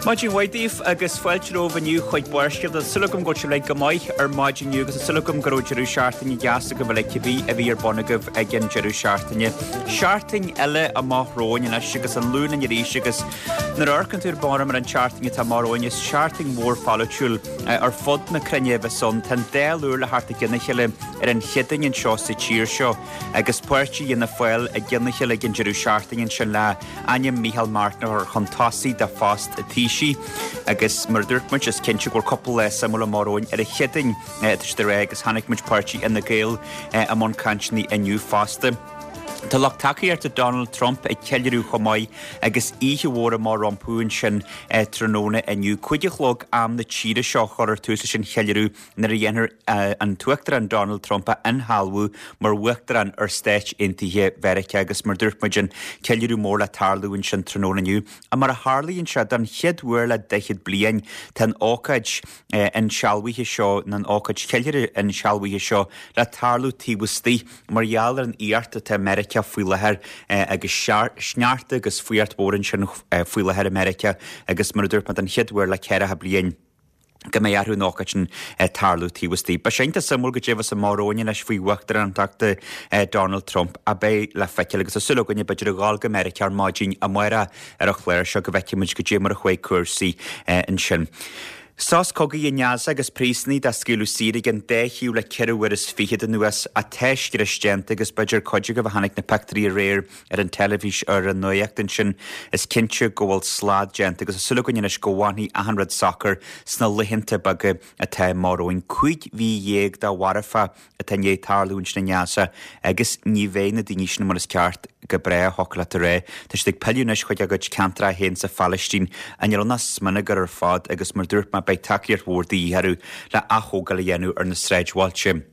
Maidin mhaith daoibh agus fáilte romhaibh inniu chuig Barrscéalta. Tá súil agam go bhfuil sibh uilig go maith ar maidin inniu agus tá súil agam go raibh deireadh seachtaine deas agaibh uilig cibé a bhí ar bun agaibh ag an deireadh seachtaine. Seachtain eile amach romhainn anois agus an Luan linn arís agus nuair a amharcann tú ar barr ar an tseachtain atá amach romhainn is seachtain mhór pholaitiúil ar fud na cruinne a bheas ann. Tá an Dáil úr le theacht i gcionn a chéile ar an Chéadaoin anseo sa tír seo agus páirtí Fhianna Fáil i gcionn a chéile ag an deireadh seachtaine ansin le ainm Micheál Martin a chur chun tosaigh do phost an Taoisigh agus mar a dúirt muid is cinnte go bhfuil cúpla lá suimiúil amach romhainn ar an Chéadaoin atá siad ag rá agus chonaic muid páirtí Fhine Gael i mbun cainteanna inniu fosta. Tá lucht tacaíochta Donald Trump ag ceiliúradh chomh maith agus oíche mhór amach rompu ansin tráthnóna inniu. 5 a chlog am na tíre seo a chuirfear tús leis an cheiliúradh nuair a dhéanfar an tUachtarán Donald Trump a inshealbhú mar Uachtarán ar Stáit Aontaithe Mheiriceá agus mar dúirt muid an ceiliúradh mór le tarlú ansin tráthnóna inniu. Mar a tharlaíonn sé, don chéad uair le daichead bliain, tá an ócáid insealbhaithe seo, nó an ócáid cheiliúrtha insealbhaithe seo le tarlú taobh istigh mar gheall ar an fhuacht atá i Meiriceá faoi láthair agus sneachta agus fuacht mhór ansin faoi láthair i Meiriceá agus mar a dúirt mé don chéad uair le ceathracha bliain. go mbeidh orthu an ócáid sin tarlú taobh istigh. Beidh sé iontach suimiúil goidé a bheas amach romhainn anois faoi uachtarántacht Donald Trump a bheidh le feiceáil agus tá súil againne b'fhéidir a dhul go Meiriceá ar maidin amárach ar an chlár seo go bhfeicfidh muid goidé mar a chuaigh cúrsaí ansin. Sos cogaidh i nGaza agus príosúnaigh dá scaoileadh saor ag an dá thaobh le ceithre uair is fichead anuas ach tá scrios déanta agus b'fhéidir cuid agaibh a chonaic na pictiúirí aréir ar an teilifís ar an nuacht ansin, is cinnte go bhfuil slad déanta agus tá súil againn anois go bhfanfaidh achan rud socair sna laethanta beaga atá amach romhainn. 15 mhí de mharfach atá i ndiaidh tarlú ansin i nGaza agus ní bheidh na daoine sin mar is ceart go brách, thiocfadh leat a rá. Tá siad ag pilleadh anois chuig a gcuid ceantracha féin sa Phalaistín. Níl ann ach smionagar ar fad agus mar dúirt mé beidh tacaíocht mhór de dhíth orthu le aththógáil a dhéanamh ar na sráidbhailte.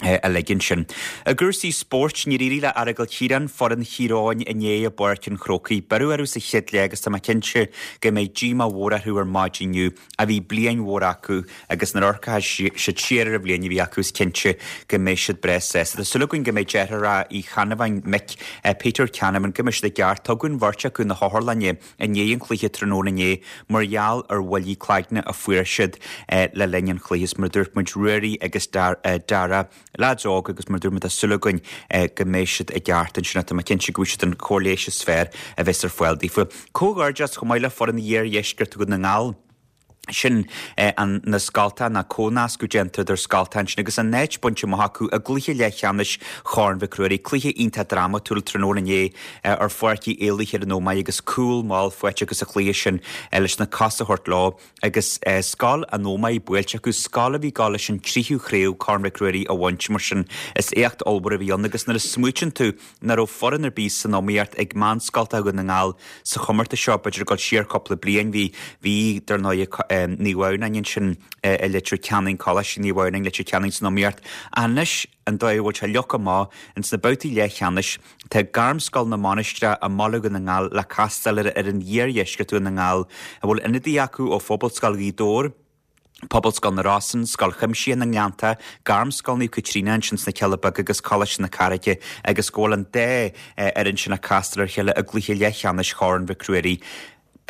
uilig ansin. I gcúrsaí spóirt, níor éirigh le Aireagal Chiaráin, foireann Thír Eoghain inné i bPáirc an Chrócaigh. Beireadh orthu sa chéad leath agus tá mé cinnte go mbeidh díomá mhór orthu ar maidin inniu. A bhí bliain mhór acu agus nuair a amharcfaidh siad siar ar an bhliain a bhí acu is cinnte go mbeidh siad breá sásta. Tá súil againn go mbeidh deartháir Uí Cheannabháin, Mick, Peter Canavan, go mbeidh siad i gceart. Tugadh an bheirt acu na hotharlainne. i ndiaidh an chluiche tráthnóna inné mar gheall ar bhuillí cloigne a fuair siad le linn an chluiche. Is mar a dúirt muid, Ruairí agus Dara, leaids óga agus mar a dúirt muid tá súil againn go mbeidh siad i gceart ansin ach tá mé cinnte go bhfaighidh siad an chóir leighis is fearr a bheas ar fáil daofa. Comhghairdeas chomh maith le foireann Iardheisceart Dhún na nGall. Sin an na scoltacha ná comhnascadh déanta idir scoltacha ansin agus an áit bainte amach acu i gcluiche leathcheannais Chorn Mhic Ruairí. Cluiche iontach drámatúil tráthnóna inné ar Pháirc Uí Éalaithe ar an Ómaigh agus cúl mall faighte acu sa chluiche sin leis na cosa a thabhairt leo agus Scoil an Ómaigh buailte acu, scoil a bhí ag gabháil leis an tríú chraobh Corn Mhic Ruairí a bhaint mar sin is éacht ollmhór a bhí ann agus nuair a smaoitíonn tú nach raibh foireann ar bith san iomaíocht ag meánscoltacha Dhún na nGall sa chomórtas seo, b'fhéidir ag dul siar cúpla bliain. Bhí, bhí, dar ndóigh, Naomh Adhamhnáin ansin i Leitir Ceanainn, Coláiste Naomh Adhamhnáin, Leitir Ceanainn san iomaíocht. Ach anois, an dóigh a bhfuil sé leagtha amach ins na babhtaí leathcheannais, tá Gairmscoil na Mainistreach i mBaile Dhún na nGall le castáil ar fhoireann Iardheisceart Dhún na nGall, a bhfuil ionadaithe acu ó Phobalscoil Ghaoth Dobhair, Pobalscoil na Rosann, Scoil Chuimsitheach na nGleannta, Gairmscoil Naomh Caitríona ansin sna Cealla Beaga agus Coláiste na Carraige agus go bhfuil an dá fhoireann sin ag castáil ar a chéile i gcluiche leathcheannais Chorn Mhic Ruairí.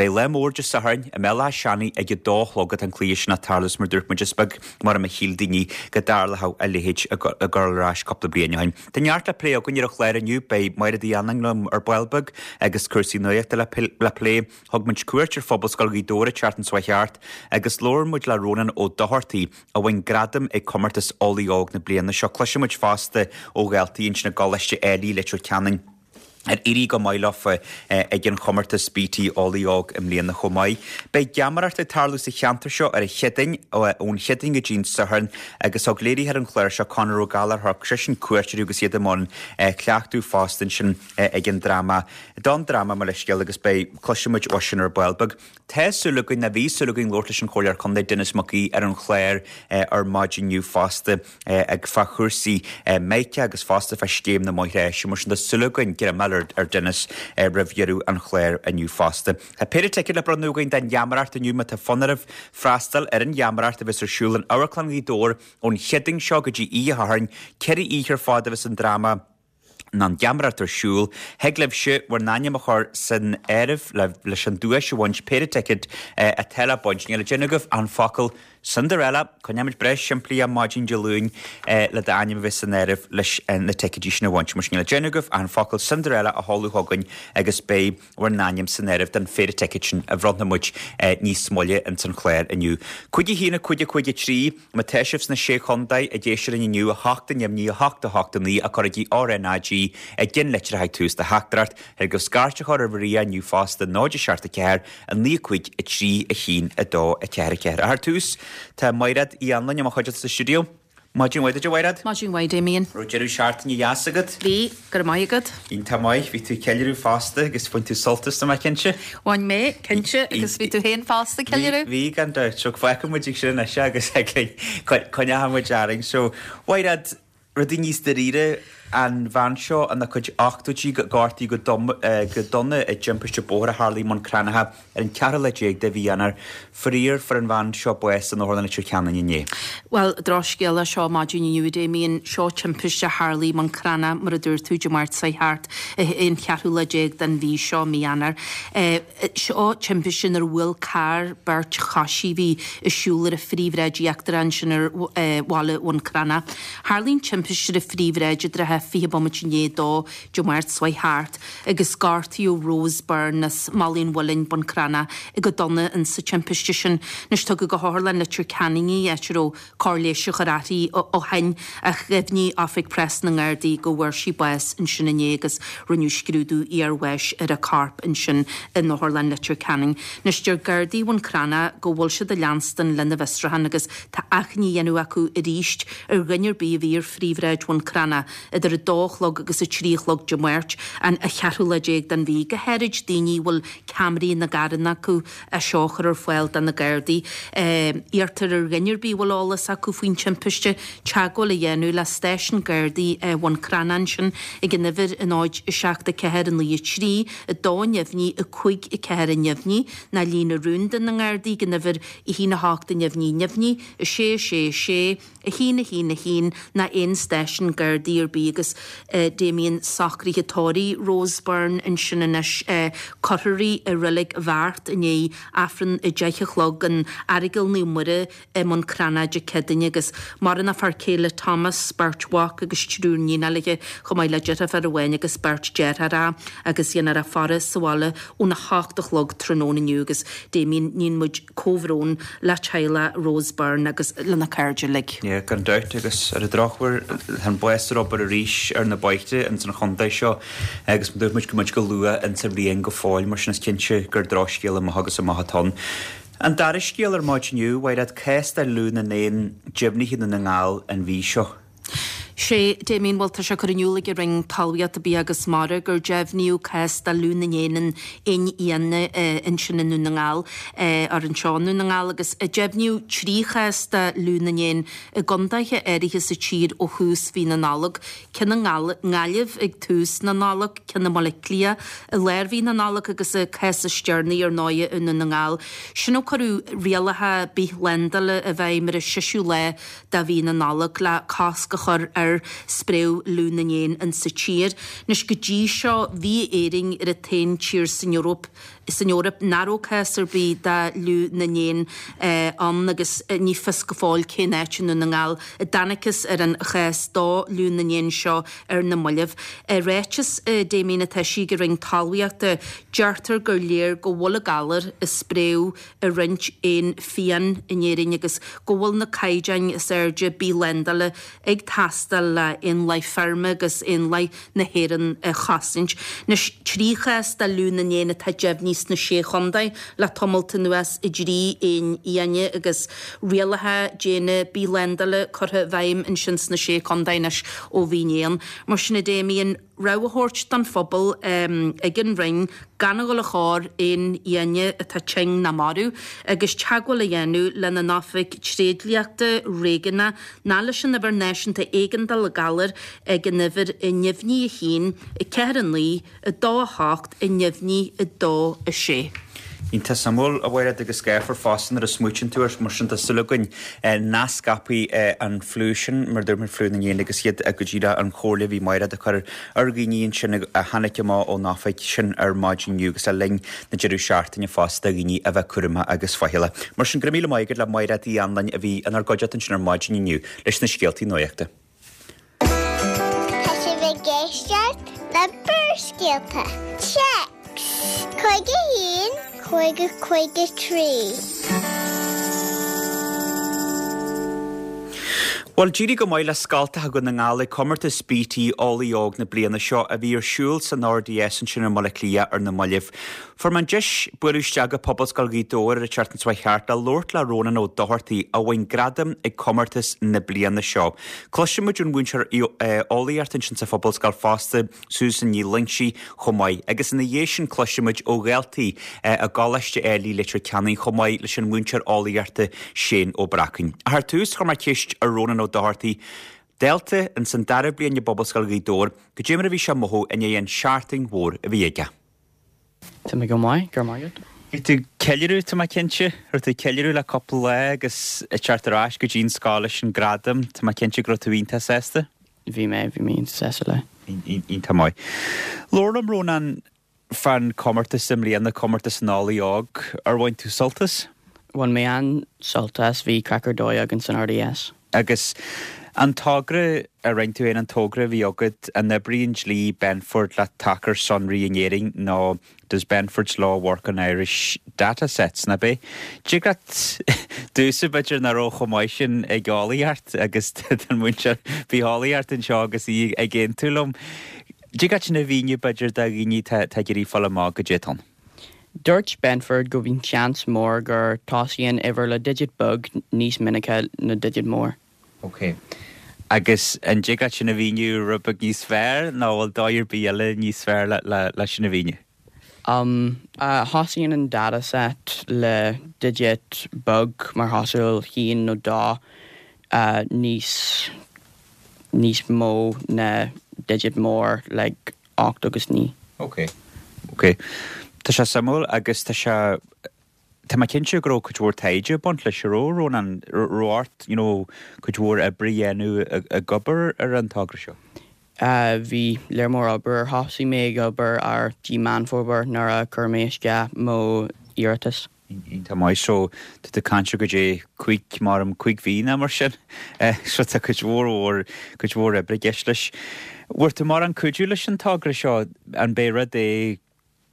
Beidh lá mór Dé Sathairn i mBéal Átha Seanaidh ag a dó a chlog atá an cluiche sin ag tarlú is mar dúirt muid is beag mar a shíl daoine go dtarlódh a leithéid ag dul ar ais cúpla bliain ó shin. Tá neart le plé againn ar an chlár inniu, beidh Máire Uí Annáin liom ar ball beag agus cúrsaí nuachta le plé. Thug muid cuairt ar Phobalscoil Ghaoth Dobhair an tseachtain seo chuaigh thart agus labhair muid le Rónán Ó Dochartaigh a bhain gradam ag comórtas Eolaí Óg na bliana seo. Cloisfidh muid fosta ó dhaltaí ansin i gColáiste Ailigh, Leitir Ceanainn ar éirigh go maith leofa ag an chomórtas BT Eolaí Óg i mbliana chomh maith. Beidh geamaireacht ag tarlú sa cheantar seo ar an Chéadaoin, ón Chéadaoin go dtí an Satharn agus thug léiritheoir an chláir seo, Conor Ó Gallchóir, thug seisean cuairt orthu agus iad i mbun cleachtadh fosta ansin ag an dráma. Don dráma, mo leithscéal, agus beidh, cloisfidh muid uaidh sin ar ball beag. Tá súil againn, nó bhí súil againn labhairt leis an Chomhairleoir Contae Denis Mac Aoidh ar an chlár ar maidin inniu fosta ag fá chúrsaí Meica agus fosta fá scéim na mbóithre áise. Mar sin tá súil againn greim a fháil ar Denis roimh dheireadh an chláir inniu fosta. Tá péire ticéad le bronnadh againn don gheamaireacht inniu má tá fonn oraibh freastal ar an gheamaireacht a bheas ar siúl in Amharclann Ghaoth Dobhair ón Chéadaoin seo go dtí oíche Shathairn. Ceithre oíche ar fad a bheas an dráma. Ná an gheamaireacht ar siúl, thig libhse bhur n-ainm a chur san áireamh leis an duais a bhaint, péire ticéad atá le baint. Níl le déanamh agaibh ach an focal Cinderella, coinneoidh muid breá simplí ar maidin Dé Luain le d'ainm a bheith san áireamh leis na ticéidí sin a bhaint. Mar sin níl le déanamh agaibh ach an focal Cinderella a sheoladh chugainn agus beidh bhur n-ainm san áireamh don phéire ticéad sin a bhronnfaidh muid níos moille ins an chlár inniu. 5 1 5 5 3 Má tá sibh sna Sé Chontae ag éisteacht linn inniu, 8 neamhní 8 8 9 ach cuirigí RNAG ag an litir ag tús do theachtaireacht. Thig libh scairt a chur ar Mharia inniu fosta, 0 7 4 9 5 3 1 2 4 4. Ach ar tús, tá Maighread Uí Anluain i mo chuideachta sa stiúideo. Maidin mhaith duit, a Mhaighread. Maidin mhaith, Damien. Raibh deireadh seachtaine dheas agat? Bhí, go raibh maith agat. Iontach maith. Bhí tú ag ceiliúradh fosta agus bhain tú sult as, tá mé cinnte. Bhain mé, cinnte, agus bhí tú féin fosta ag ceiliúradh? Bhí, gan dabht. So fágfaidh muid ag sin anois é agus coinneoidh muid orainn. So, Mhaighread, rudaí níos dáiríre, an bhean seo ina cuid ochtóidí a gortaíodh go dona i dtimpiste bóthair a tharla i mBun Cranncha. Ar an cheathrú lá déag de mhí Eanáir, faraor, fuair an bhean seo bás in Otharlann Leitir Ceanainn inné. Bhuel, drochscéala seo maidin inniu, a Damien. Seo timpiste a tharlaigh i mBun Cranncha, mar a dúirt tú, Dé Máirt seo thart, an cheathrú lá déag den mhí seo, mí Eanáir. Seo timpiste nuair a bhuail carr beirt choisí a bhí ag siúl ar an phríomhshráid íochtarach ansin ar bhaile Bhun Cranncha. Tharlaigh an timpiste ar an phríomhshráid i dtrátha 20 bomaite i ndiaidh a dó Dé Máirt seo thart. agus gortaíodh Rose Byrne as Malaidh an Mhuilinn, Bun Cranncha, go dona in sa timpiste sin. Anois tugadh go hOtharlann Leitir Ceanainn í, áit a raibh cóir leighis á chur uirthi ó shin, ach dheimhnigh Oifig Preas na nGardaí go bhfuair sí bás ansin inné agus rinneadh scrúdú iarbháis ar a corp ansin in Otharlann Leitir Ceanainn. Anois deir Gardaí Bhun Cranncha go bhfuil siad ag leanstan lena bhfiosrúchán agus tá achainí á dhéanamh acu arís ar dhuine ar bith a bhí ar phríomhshráid Bhun Cranncha idir 2 a chlog agus 3 a chlog Dé Máirt, an cheathrú lá déag den mhí, go háirid daoine a bhfuil ceamaraí ina gcarranna acu, é seo a chur ar fáil do na Gardaí. Iarrtar ar dhuine ar bith a bhfuil eolas acu faoin timpiste, teagmháil a dhéanamh le stáisiún Gardaí Bhun Cranncha ansin ag an uimhir 0 7 4 9 3 2 neamhní 5 4 neamhní nó líne rúnda na nGardaí ag an uimhir 1 8 neamhní neamhní 6 6 6 1 1 1 ná aon stáisiún Gardaí ar bith agus Damien socruithe tórraimh Rose Byrne ansin anois cuirfear í i Reilig Bheart i ndiaidh Aifreann a 10 a chlog in Aireagal Naomh Muire i mBun Cranncha Dé Céadaoine agus maireann a fear céile Thomas, beirt mhac agus triúr níonacha léi chomh maith le deirfiúr amháin agus beirt deartháireacha agus déanfar a faire sa bhaile óna hocht a chlog tráthnóna inniu agus Damien níonn muid Comhbhrón le teaghlach Rose Byrne agus lena cairde uilig. Yeah, gan dabht, agus ar an drochuair, tá an bás ar obair arís ar na bóithre ins an chontae seo agus dúirt muid go muid go luath ins an bhliain go fóill, mar sin is cinnte gur drochscéal amach agus amach atá ann. An dara scéal ar maidin inniu, Mhaighread, cás de fhliú na n-éan deimhnithe i nDún na nGall an mhí seo. Sé, Damien, bhuel tá sé curtha in iúl ag an Roinn Talmhaíochta, Bia agus Mara gur deimhníodh cás de fhliú na n-éan in éin fhiáine ansin i nDún na nGall, or anseo i Ndún na nGall, agus deimhníodh 3 chás de fhliú na n-éan i gcontaetha áirithe sa tír ó thús mhí na Nollag, ceann i nGaillimh ag tús na Nollag, ceann i mBaile Átha Cliath i lár mhí na Nollag agus an cás is deireanaí ar ndóigh i nDún na nGall. Sin ó cuireadh rialacha bithshlándála i bhfeidhm ar an seisiú lá de mhí na Nollag le cosc a chur ar spréadh fhliú na n-éan insa tír. Anois go dtí seo bhí Éirinn ar an t-aon tír san Eoraip san Eoraip nach raibh cás ar bith de fhliú na n-éan ann agus ní fios go fóill cén áit i nDún na nGall a dtángthas ar an chás d'fhliú na n-éan seo ar na mallaibh. I ráiteas Damien atá eisithe ag an Roinn Talmhaíochta deirtear gur léir go bhfuil an galar ag spréadh i roinnt éan fiáin in Éirinn agus go bhfuil na caighdeáin is airde bithshlándála ag teastáil le éanlaith feirme agus éanlaith na hÉireann a chosaint. Anois, 3 chás de fhliú na n-éan atá deimhnithe sna Sé Chontae le tamalt anuas i dtrí éan fhiáine agus rialacha diana bithshlándála curtha i bhfeidhm ansin sna Sé Chontae anois ó mhí an. Mar sin a Damien, rabhadh á thabhairt don phobal ag an Roinn gan a dhul ag cur éin fhiáine atá tinn ná marbh agus teagmháil a dhéanamh lena n-oifig tréidliachta réigiúnach ná leis an Uimhir Náisiúnta Éigeandála Galar ag an uimhir neamhní 1, 4 9, 2 8, neamhní 2 6. Iontach suimiúil, a Mhairéad, agus gáifeach fosta nuair a smaoitíonn tú air, mar sin tá súil againn nach scaipfidh an fliú sin, mar a dúirt muid, fliú na n-éan agus iad go díreach an chomhairle a bhí Mairéad a chur ar dhaoine ansin a tháinig amach ón oifig sin ar maidin inniu agus le linn na deireadh seachtaine fosta dhaoine a bheith cúramach agus faichilleach. Mar sin, go raibh míle maith agat le Mairéad Uí Anluain a bhí inár gcuideachta ansin ar maidin inniu leis na scéaltaí nuachta. Tá sibh ag éisteacht le Barrscéalta. Téacs 51 50 53. Bhuel, d'éirigh go maith le Scoltacha Dhún na nGall ag Comórtas BT Eolaí Óg na bliana seo a bhí ar siúl san RDS ansin i mBaile Átha Cliath ar na mallaibh. Fuair mé an deis bualadh isteach go Pobalscoil Ghaoth Dobhair ar an tseachtain seo thart le labhairt le Rónán Ó Dochartaigh a bhain gradam ag comórtas na bliana seo. Cloisfidh muid ón mhúinteoir eolaíochta ansin sa Phobalscoil fosta, Susan Ní Loingsigh, chomh maith. Agus ina dhiaidh sin cloisfidh muid ó dhaltaí i gColáiste Ailigh Leitir Ceanainn chomh maith leis an mhúinteoir eolaíochta Shane Ó Bracáin. Ach ar tús chuir mé ceist ar Rónán Ó Dochartaigh, dalta ins an dara bliain i bPobalscoil Ghaoth Dobhair, goidé mar a bhí sé ag mothú i ndiaidh an seachtain mhór a bhí aige. Tá mé go maith, go raibh maith agat. Bhí tú ag ceiliúradh, tá mé cinnte. Raibh tú ag ceiliúradh le cúpla lá agus ag teacht ar ais go dtí an scoil leis an gradam, tá mé cinnte go raibh tú iontach sásta. Bhí mé, bhí mé iontach sásta le. Iontach maith. Labhair liom, Rónán, fán chomórtas i mbliana, comórtas an Eolaí Óg. Ar bhain tú sult as? Bhain mé an-sult as, bhí craic ar dóigh againn san RDS. Agus an togra a rinne tú féin, an togra a bhí agat, an oibríonn dlí Benford le tacair sonraí in Éirinn nó Does Benford's Law work on Irish data sets, nach b'é? Dtig leat domhsa b'fhéidir nach raibh chomh maith sin ag eolaíocht agus tá an múinteoir bitheolaíochta anseo agus í ag aontú liom. Dtig leat sin a mhíniú b'fhéidir do dhaoine atá ag iarraidh fáil amach goidé atá ann. Dúirt Benford go bhíonn seans mór gur tosaíonn uimhir le digit beag níos minice na digit mór. Ok. Agus an dtig leat sin a mhíniú rud beag níos fearr nó bhfuil dóigh ar bith eile níos fearr le sin a mhíniú? Um, thosaíonn an data set le digit beag mar chosúil haon nó dó níos níos mó na digit mór like 8 agus 9. Ok. Ok. Tá sé suimiúil agus tá sé, tá mé cinnte go raibh cuid mhór taighde ag baint leis, an raibh, Rónán? Raibh ort, you know, cuid mhór oibre a dhéanamh ag obair ar an togra seo? Bhí léar mór obair. Thosaigh mé ag obair ar dtí Meán Fómhair nuair a chuir mé isteach mo iarratas. Iontach maith. So, tá tú ag caint ar goidé cúig, maram, cúig mhí nó mar sin. So tá cuid mhór mhór, cuid mhór oibre i gceist leis. Bhfuair tú mórán cuidiú leis an togra seo? An b'é rud é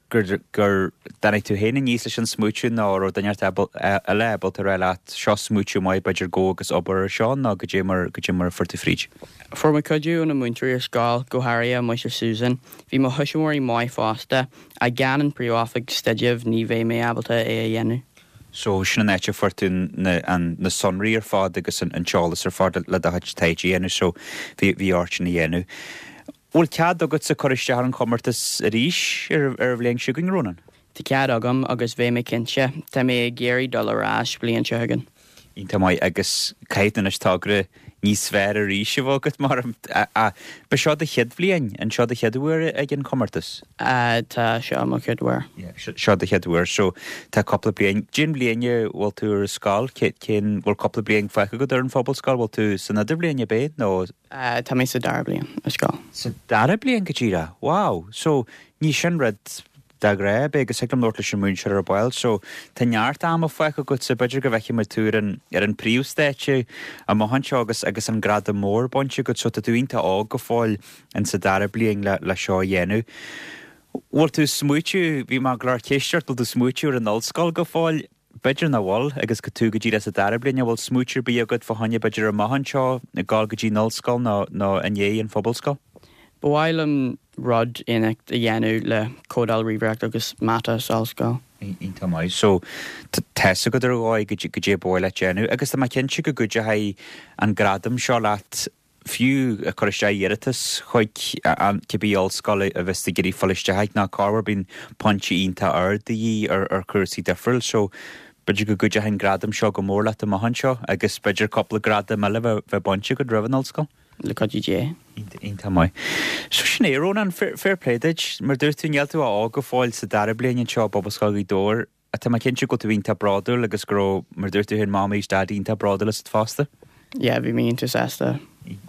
gur, gur dtáinig tú féin aníos leis an smaoitiú nó raibh duine eile ábalta a rá leat, seo smaoitiú maith, b'fhéidir gabh agus obair ar seo nó goidé mar, goidé mar a fuair tú fríd? Fuair mé cuidiú ó na múinteoirí ar scoil, go háirithe Muinteoir Susan. Bhí mo thuismitheoirí maith fosta. Ach gan an Príomhoifig Staidrimh ní bheadh mé ábalta é a dhéanamh. So, sin an áit a fuair tú na, an, na sonraí ar fad agus an, an t-eolas ar fad le do chuid taighde a dhéanamh, so bhí, bhí ort sin a dhéanamh. Bhfuil cead agatsa cur isteach ar an chomórtas arís ar, ar an bhliain seo chugainn, Rónán? Tá cead agam agus beidh mé cinnte. Tá mé ag iarraidh dul ar ais bliain seo chugainn. Iontach maith agus caithfidh tú anois togra níos fearr arís a bheith agat mar ba seo do chéad bhliain, an seo do chéad uair ag an chomórtas? Tá seo mo chéad uair. Seo do chéad uair so tá cúpla bliain. Cén bhliain a bhfuil tú ar an scoil? Cén, bhfuil cúpla bliain fágtha agat ar an phobalscoil? Bhfuil tú san idirbhliain ab é nó? Tá mé sa dara bliain ar scoil. Sa dara bliain go díreach? Wow! So ní sin rud de ghnáth, ab é, agus thig liom labhairt leis an múinteoir ar ball. So, tá neart ama fágtha agat so b'fhéidir go bhfeicfidh muid tú ar an, ar an príomhstáitse amach anseo agus, agus an gradam mór bainte agat. So, tá tú iontach óg go fóill in sa dara bliain le, le seo a dhéanamh. Bhfuil tú ag smaoitiú, bhí mé ag cur ceist ort, bhfuil tú ag smaoitiú ar an ollscoil go fóill? B'fhéidir nach bhfuil, agus go tú go díreach sa dara bliain, an bhfuil smaoitiú ar bith agat fá choinne b'fhéidir amach anseo, ag gabháil go dtí an ollscoil nó, nó i ndiaidh an phobalscoil? Ba mhaith liom rud éineacht a dhéanamh le códáil ríomhaireacht agus mata sa ollscoil. Iontach maith. So, tá's agat ar dhóigh goidé ba mhaith leat déanamh agus tá mé cinnte go gcuideoidh an gradam seo leat fiú ag cur isteach iarratas chuig cibé ollscoil a bheas tú ag iarraidh fáil isteach ag nó corruair bíonn pointí iontach ard de dhíth ar ar chúrsaí difriúil so b'fhéidir go gcuideoidh an gradam seo go mór leat amach anseo agus b'fhéidir cúpla gradam eile bheith bheith bainte agat roimh an ollscoil. Le cuidiú Dé. Iontach maith. So sin é, Rónán, fair play duit. Mar dúirt tú, níl tú ach óg go fóill sa dara bliain anseo i bPobalscoil Ghaoth Dobhair. Tá mé cinnte go bhfuil tú iontach bródúil agus go raibh, mar a dúirt tú féin, Mamaí is Daidí iontach bródúil asat fosta. Yeah, bhí mé iontach sásta.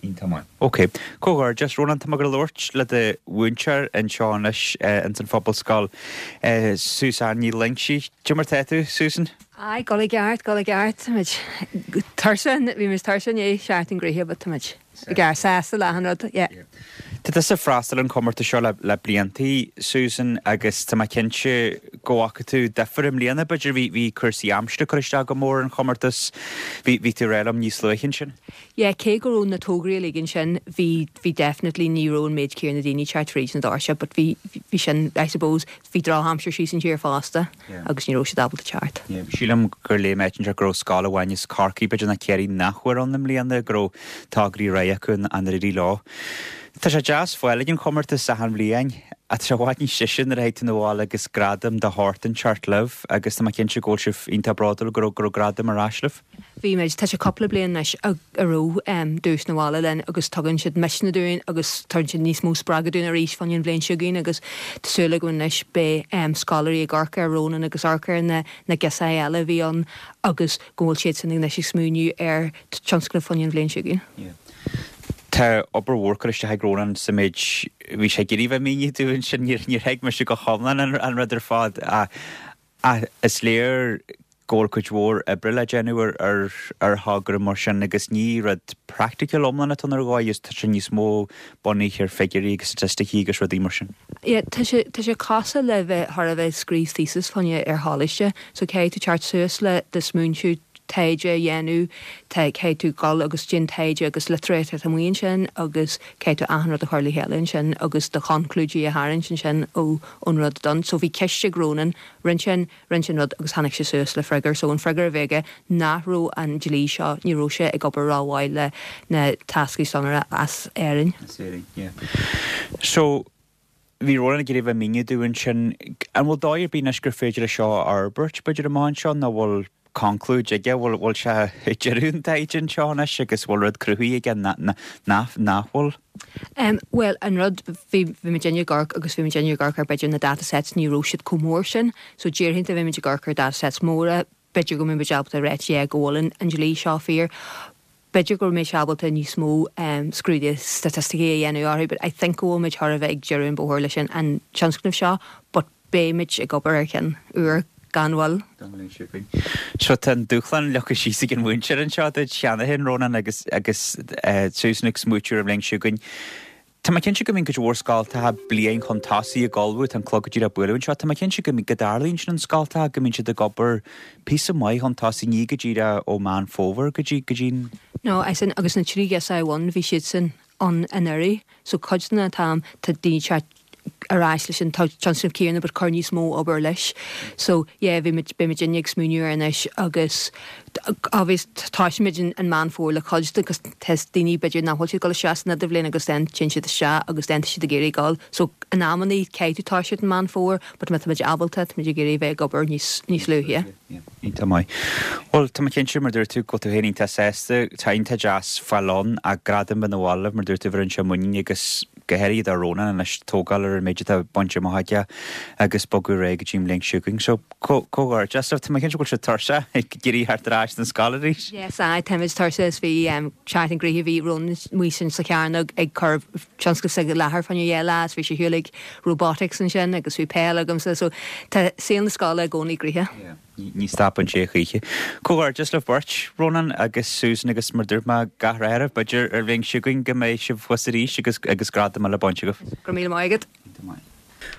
Iontach maith. Ok. Comhghairdeas, Rónán. Tá mé ag gabháil a labhairt le do mhúinteoir anseo anois ins an Phobalscoil, Susan Ní Loingsigh. Cad é mar tá tú, Susan? Aye, dul i gceart, dul i gceart. Táimid tuirseach, bhí muid tuirseach i ndiaidh seachtain gnoitheach but táimid i gceart, sásta le achan rud, yeah. Tá tusa ag freastal ar an chomórtas seo le bliantaí, Susan, agus tá mé cinnte go bhfaca tú difear i mbliana, b'fhéidir. Bhí, bhí cúrsaí aimsire ag cur isteach go mór ar an chomórtas. Bhí, bhí tú ag rá liom níos luaithe ansin. Yeah, cé go raibh na tograí uilig ansin, bhí, bhí definitely, ní raibh an méid céanna daoine ag teacht fríd na doirse, but bhí, bhí sin, I suppose, bhí drochaimsir síos an tír fosta agus ní raibh siad ábalta teacht. Sílim gur léigh mé áit inteacht go raibh scoil amháin as Corcaigh, b'fhéidir nó Ciarraí nach bhfuair ann i mbliana, go raibh tograí réidh acu nár éirigh leo. Tá sé deas fáil ag an chomórtas achan bhliain ach tá sé i bhfad níos deise nuair a thig tú 'na bhaile agus gradam de shórt inteacht libh agus tá mé cinnte go bhfuil sibh iontach bródúil go raibh go raibh gradam ar ais libh. Bhí muid, tá sé cúpla bliain anois a raibh duais 'na bhaile linn agus tugann siad misneach dúinn agus tugann siad níos mó spreagadh dúinn arís fá choinne an bhliain seo chugainn agus tá súil agam anois beidh scoláirí ag amharc ar Rónán agus amharc ar na na girseachaí eile a bhí ann agus go bhfuil siadsan anois ag smaoineamh ar tionscnamh fá choinne an bhliain seo chugainn. Tá obair mhór curtha isteach ag Rónán sa méid bhí sé ag iarraidh bheith ag míniú dúinn sin, níor thuig mise go hiomlán an rud ar fad ach is léir go bhfuil cuid mhór oibre le déanamh ar ar thogra mar sin agus ní rud praiticiúil iomlán atá ann ar dhóigh is tá sé níos mó bunaithe ar figiúirí agus staitisticí agus rudaí mar sin. Yeah, tá sé, tá sé cosúil le bheith, thar a bheith ag scríobh thesis fá choinne ar choláiste, so caithfidh tú teacht suas le do smaointiú, taighde a dhéanamh, tá, caithfidh tú dul agus déan taighde agus litríocht atá amuigh ansin agus caithfidh tú achan rud a chur le chéile ansin agus do chonclúidí a tharraingt ansin ó, ón rud done. So bhí ceist ag Rónán, rinne sé an, rinne sé an rud agus tháinig sé suas le freagra. So an freagra a bhí aige nach raibh an dlí seo, ní raibh sé ag obair rómhaith le na táscairí sonraí as Éirinn. As Éirinn, yeah. So bhí Rónán ag iarraidh bheith ag míniú dúinn ansin, an bhfuil dóigh ar bith anois gur féidir é seo a fhorbairt b'fhéidir amach anseo nó bhfuil conclúid aige, bhfuil, bhfuil sé ag deireadh an taighde anseo anois agus bhfuil rud cruthaithe aige nach, nach bhfuil? Em, bhuel, an rud, bhí, bhí muidinne ag amharc agus bhí muidinne ag amharc ar b'fhéidir na data sets, ní raibh siad chomh mór sin, so déarfainn dá mbeadh muid ag amharc ar data sets móra, b'fhéidir go mbeadh muid ábalta a ráit yeah go bhfuil an, an dlí seo fíor. B'fhéidir go mbeidh sé ábalta níos mó em scrúduithe staitisticí a dhéanamh orthu but I think go bhfuil muid thar a bheith ag deireadh an bhóthair leis an, an tionscnamh seo but beidh muid ag obair ar cheann úr gan mhoill. Don bhliain seo chugainn. So tá an dúshlán leagtha síos ag an mhúinteoir anseo duit cheana féin, Rónán, agus agus Susan ag smaoitiú ar an bhliain seo chugainn. Tá mé cinnte go mbíonn cuid mhór scoltacha bliain chun tosaigh ag ullmhú, tá an clog go díreach ag bualadh anseo, tá mé cinnte go go dtarlaíonn sin in scoltacha, go mbíonn siad ag obair píosa maith chun tosaigh, ní go díreach ó Meán Fómhair go dtí go dtí an. No, as in, agus na 3 ghirseach amháin, bhí siadsan ann anuraidh, so cuid den t-am tá daoine ag teacht ar ais leis an tionscnamh céanna but cur níos mó obair leis. So yeah bhí muid, beidh muidinne ag smaoineamh air anois agus obvious tosaímid in in Meán Fómhair le cuid de agus tá daoine b'fhéidir nach bhfuil siad ag dul isteach san idirbhliain agus then téann siad isteach agus then tá siad ag iarraidh dul. So in amannaí caithfidh tú toiseacht in Meán Fómhair but má tá muid ábalta tá muid ag iarraidh bheith ag obair níos níos luaithe. Iontach maith. Bhuel, tá mé cinnte, mar dúirt tú, go bhfuil tú féin iontach sásta. Tá iontach deas fáil ann ach gradam bheith 'na bhaile libh, mar dúirt tú, bheireann sé muinín agus go háirithe do Rónán anois tógáil ar an méid atá bainte amach aige agus bogadh ar aghaidh go dtí an bhliain seo chugainn. So, comhghairdeas libh. Tá mé cinnte go bhfuil sibh tuirseach ag iarraidh theacht ar ais don scoil arís. Yes, aye, táimid tuirseach is bhí seachtain gnoitheach, bhí Rónán amuigh ansin sa chearnóg ag cur tionscnamh s'aige i láthair fá choinne dhá lá is bhí sé ar shiúl ag robotics ansin agus bhí peil agamsa so tá saol na scoile i gcónaí gnoitheach. Yeah, ní stopann sé a choíche. Comhghairdeas libh beirt, Rónán agus Susan agus mar dúirt mé, gach rath oraibh, b'fhéidir ar an bhliain seo chugainn go mbeidh sibh thuas arís agus agus gradam eile bainte agaibh. Go raibh míle maith agat.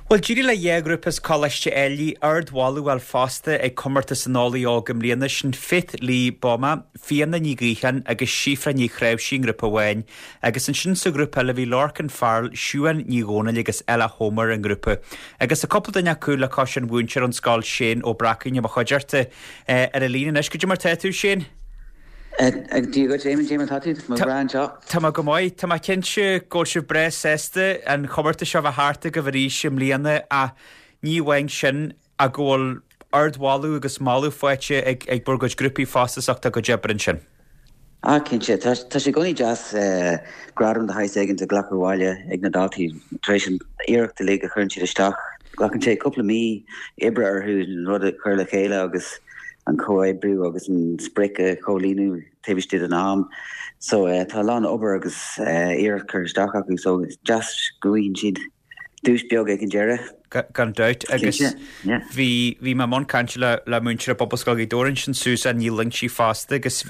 Bhuel, d'éirigh le dhá ghrúpa as Coláiste Ailigh ardmholadh a fháil fosta ag Comórtas an Eolaí Óg i mbliana, sin Faith Lee Boma, Fiona Ní Ghaocháin agus Síofra Ní Chnáimhsí i ngrúpa amháin Agus ansin sa ghrúpa eile bhí Lorcan Farrell, Siuán Ní Dhomhnaill agus Ella Homer i ngrúpa. Agus tá cúpla duine acu le cois an mhúinteoir ón scoil Shane Ó Bracáin i mo chuideachta ar an líne anois. Cad é mar tá tú, Shane? Dia dhuit, Éamonn, cad é mar tá tú? Tá mé breá anseo. Tá mé go maith. Tá mé cinnte go bhfuil sibh breá sásta an chomórtas seo a bheith thart agaibh arís i mbliana ach ní amháin sin, ach go bhfuil ardmholadh agus moladh faighte ag bhur gcuid grúpaí fosta as ucht a gcuid oibre ansin. Ah, cinnte. Tá sé i gcónaí deas gradam de shaghas éigin a ghlacadh abhaile ag na daltaí tar éis an iarracht uilig a chuireann siad isteach. Glacann sé cúpla mí oibre orthu an rud a chur le chéile agus an comhoibriú agus an sprioc a chomhlíonadh taobh istigh den am. So tá a lán obair agus iarracht curtha isteach acu so is deas go bhfaigheann siad duais beag ag an deireadh. Gan dabht. Agus bhí bhí mé i mbun cainte le le múinteoir i bPobalscoil Ghaoth Dobhair ansin, Susan Ní Loingsigh fosta agus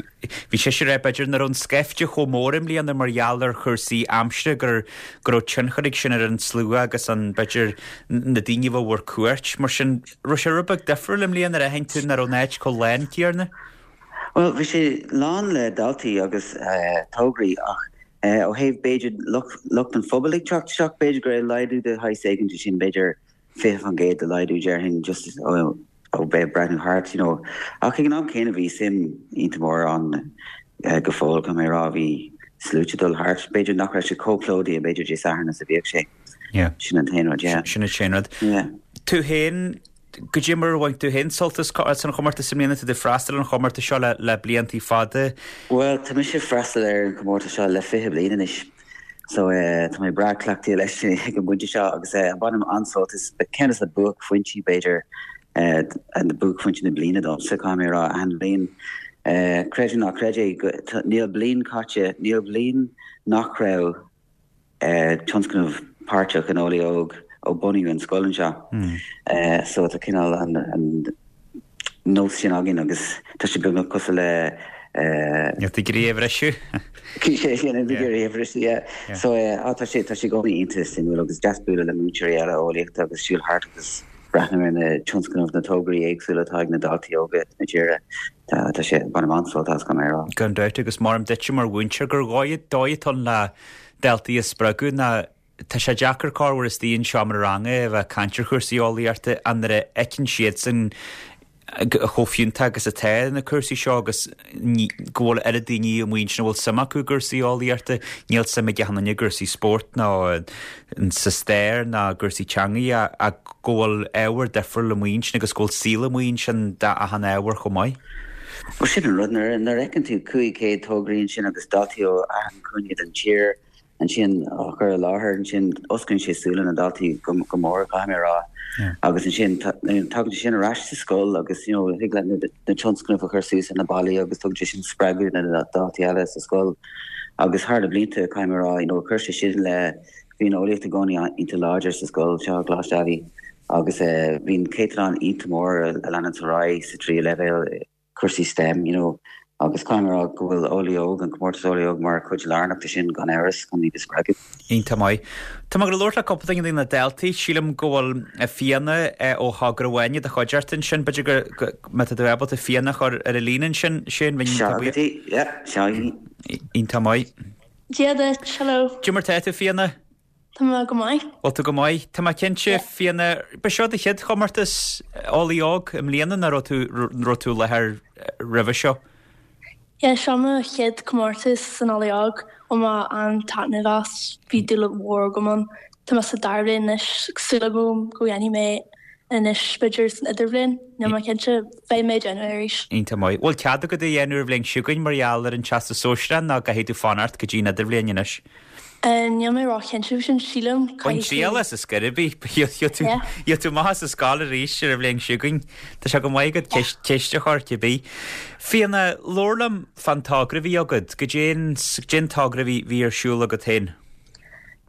bhí sise ag rá b'fhéidir nach raibh an scaifte chomh mór i mbliana mar gheall ar chúrsaí aimsire gur go raibh tionchar ag sin ar an slua agus an b'fhéidir na daoine a bheadh ar cuairt. Mar sin raibh sé rud beag difriúil i mbliana ar aithin tú nach raibh an áit chomh lán céanna? Bhuel bhí sé lán le daltaí agus tograí ach Ó thaobh, b'fhéidir, lucht an phobail ag teacht isteach, b'fhéidir go raibh laghdú de shaghas éigin de sin, b'fhéidir 20% de laghdú déarfainn just ó bheith ag breathnú thart, you know. Ach ag an am céanna bhí suim iontach mór ann go fóill, caithfidh mé a rá, bhí sluaite ag dul thart. B'fhéidir nach raibh sé chomh plódaithe b'fhéidir Dé Sathairn is a bhíodh sé. Yeah. Sin an t-aon rud, yeah. Sin an t-aon rud. Yeah. Tú féin, Goidé mar a bhain tú féin sult as an chomórtas i mbliana? Tá tú ag freastal ar an chomórtas seo le bliantaí fada. Bhuel, tá mise ag freastal ar an chomórtas seo le 20 bliain anois so tá mé breá cleachtaithe leis ag an bpointe seo agus bainim an-sult as. Ceann de na buaicphointí b'fhéidir, na buaicphointí na bliana domsa, caithfidh mé a rá, achan bhliain. Creid é nó ná creid é, níl bliain caite, níl bliain nach raibh tionscnamh páirteach in Eolaí Óg ó bunaíodh an scoil anseo. So tá cineál an nós sin againn agus tá sé beagnach cosúil le. Níl tú ag iarraidh é a bhriseadh. Sé sin, níl tú ag iarraidh é a bhriseadh, yeah. So tá sé tá sé i gcónaí iontach suimiúil agus deas bualadh le múinteoirí eile eolaíochta agus siúl thart agus breathnú ar na tionscnaimh, na tograí éagsúla atá ag na daltaí óga na tíre. Tá sé, bainim an-sult as, caithfidh mé a rá. Gan dabht, agus maram duitse mar mhúinteoir gur dhóigh atá ann le daltaí a spreagadh ná tá sé deacair corruair istigh i seomra ranga a bheith ag caint ar chúrsaí eolaíochta ach nuair a fheiceann siadsan chomh fiúntach agus atá na cúrsaí seo agus go bhfuil oiread daoine amuigh ansin a bhfuil suim acu i gcúrsaí eolaíochta, níl suim ag achan duine i gcúrsaí spóirt ná sa stair ná i gcúrsaí teangacha ach go bhfuil ábhar difriúil amuigh ansin agus go bhfuil saol amuigh ansin d'achan ábhar chomh maith. Bhuel sin an rud, nuair a fheiceann tú 500 tograí ansin agus daltaí ó achan chúinne den tír ansin á chur i láthair ansin, osclaíonn sé súile na ndaltaí go mór, caithfidh mé a rá. Agus ansin tagann sé sin ar ais sa scoil agus you know thig leat na tionscnaimh a chur suas ar na ballaí agus tugann sé sin spreagadh do na daltaí eile sa scoil. Agus thar na blianta, caithfidh mé a rá, you know chuir sé sin le, bhí an eolaíocht i gcónaí iontach láidir sa scoil seo, Coláiste Ailigh, agus bhí an céatadán iontach mór a leanann ar aghaidh sa tríú leibhéal, cúrsaí STEM, you know, agus caithfidh mé a rá go bhfuil Eolaí Óg, an comórtas Eolaí Óg mar chuid lárnach de sin gan amhras, chun iad a spreagadh. Iontach maith. Tá mé ag labhairt le cúpla duine de na daltaí, sílim go bhfuil Fiona ó Thogra Áine i do chuideachta ansin, b'fhéidir go, má tá tú ábalta Fiona a chur ar an líne ansin, Shane, bheinn Seo agat í, yeah, seo í. Iontach maith. Dia duit, hello. Cad é mar tá tú, Fiona? Tá mé go maith. Bhfuil tú go maith? Tá mé cinnte, Fiona, ba seo do chéad chomórtas Eolaí Óg i mbliana nó raibh tú, raibh tú i láthair roimhe seo? Yeah, seo mo chéad comórtas san Eolaí Óg. Bhain mé an-taitneamh as. Bhí dúil mhór agam ann. Tá mé sa dara bliain anois, súil agam go dhéanfaidh mé anois b'fhéidir san idirbhliain. Níl mé cinnte, beidh mé ag déanamh é arís. Iontach maith. Bhfuil cead agat é a dhéanamh ar an bhliain seo chugainn mar gheall ar an Teastas Sóisearach nó caithfidh tú fanacht go dtí an idirbhliain anois? Níl mé ró-chinnte faoi sin, sílim. Bain triail as ar scor ar bith. Gheobhaidh tú amach as an scoil arís ar an bhliain seo chugainn. Tá sé go maith agat ceist a chur, cibé. Fiona, labhair liom fán togra a bhí agat. Goidé an togra a bhí ar siúl agat féin?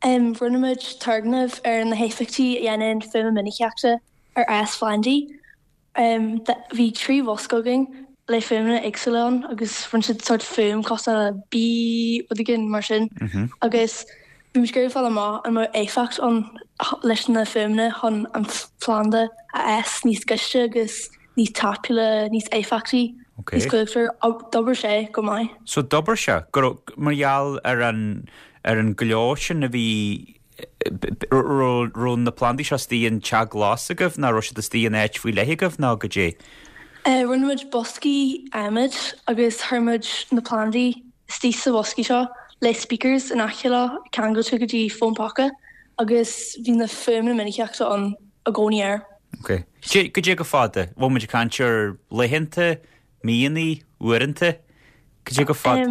Rinne muid turgnamh ar na héifeachtaí a dhéanann fuaim minicíochta ar fhás phlandaí. Bhí 3 bhosca againn le fuaimeanna éagsúla ann agus rinne siad sórt fuaim cosúil le bíp, rud éigin mar sin agus bhí muid ag iarraidh fáil amach an mbeadh éifeacht ann leis na fuaimeanna chun an planda a fhás níos gaiste agus níos tapúla, níos éifeachtaí, níos cumhachtaí. D'obair sé go maith. So d'obair sé, go raibh, mar gheall ar an, ar an ghleo sin a bhí raibh na plandaí seo istigh in teach glas agaibh nó raibh siad istigh in áit faoi leith agaibh nó goidé? Rinne muid boscaí adhmaid agus chuir muid na plandaí istigh sa bhoscaí seo le speakers in aice leo ceangailte go dtí fón póca agus bhí na fuaimeanna minicíochta ann i gcónaí air. Ok. Goidé chomh fada? Bhfuil muid ag caint ar laethanta, míonna, uaireanta? Goidé chomh fada?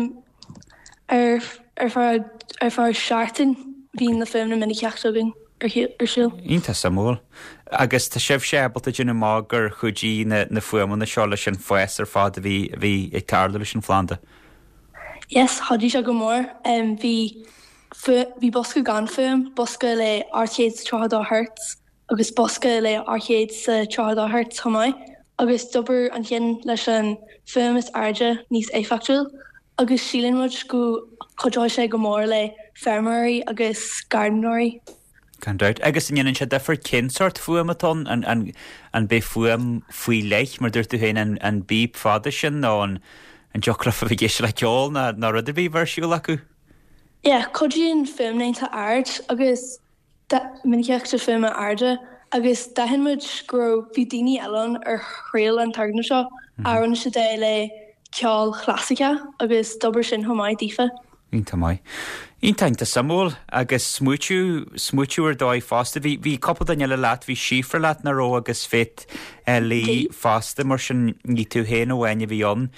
Ar ar feadh ar feadh seachtain bhí na fuaimeanna minicíochta againn. ar siúl. Iontach suimiúil. Agus tá sibhse ábalta déanamh amach gur chuidigh na na fuaimeanna seo leis an fás ar fad a bhí a bhí ag tarlú leis an phlanda? Yes, chuidigh sé go mór. Bhí bhí bosca gan fuaim, bosca le 832 Hertz agus bosca le 832 Hertz chomh maith agus d'obair an ceann leis an fuaim is airde níos éifeachtúil agus síleann muid go chuideoidh sé go mór le feirmeoirí agus gairdíneoirí. Gan dabht. Agus an ndéanann sé difear cén sórt fuaim atá ann? An, an, an b'é fuaim faoi leith, mar dúirt tú féin, an, an bíp fada sin nó an, an dtiocfadh leofa bheith ag éisteacht le ceol ná, ná rud ar bith a bheith ar siúl acu? Yeah, cuidíonn fuaimlíonta ard agus minicíocht fuaime airde agus d'aithin muid go raibh, bhí daoine eile ann ar thriail an turgnamh seo a rinne siad é le ceol chlasaiceach agus d'obair sin chomh maith daofa. Iontach maith. Iontach, iontach suimiúil agus smaoitiú, smaoitiú ar dóigh fosta. Bhí, bhí cúpla duine eile leat, bhí Síofra leat nach raibh agus Faith Lee fosta mar sin ní tú féin amháin a bhí ann.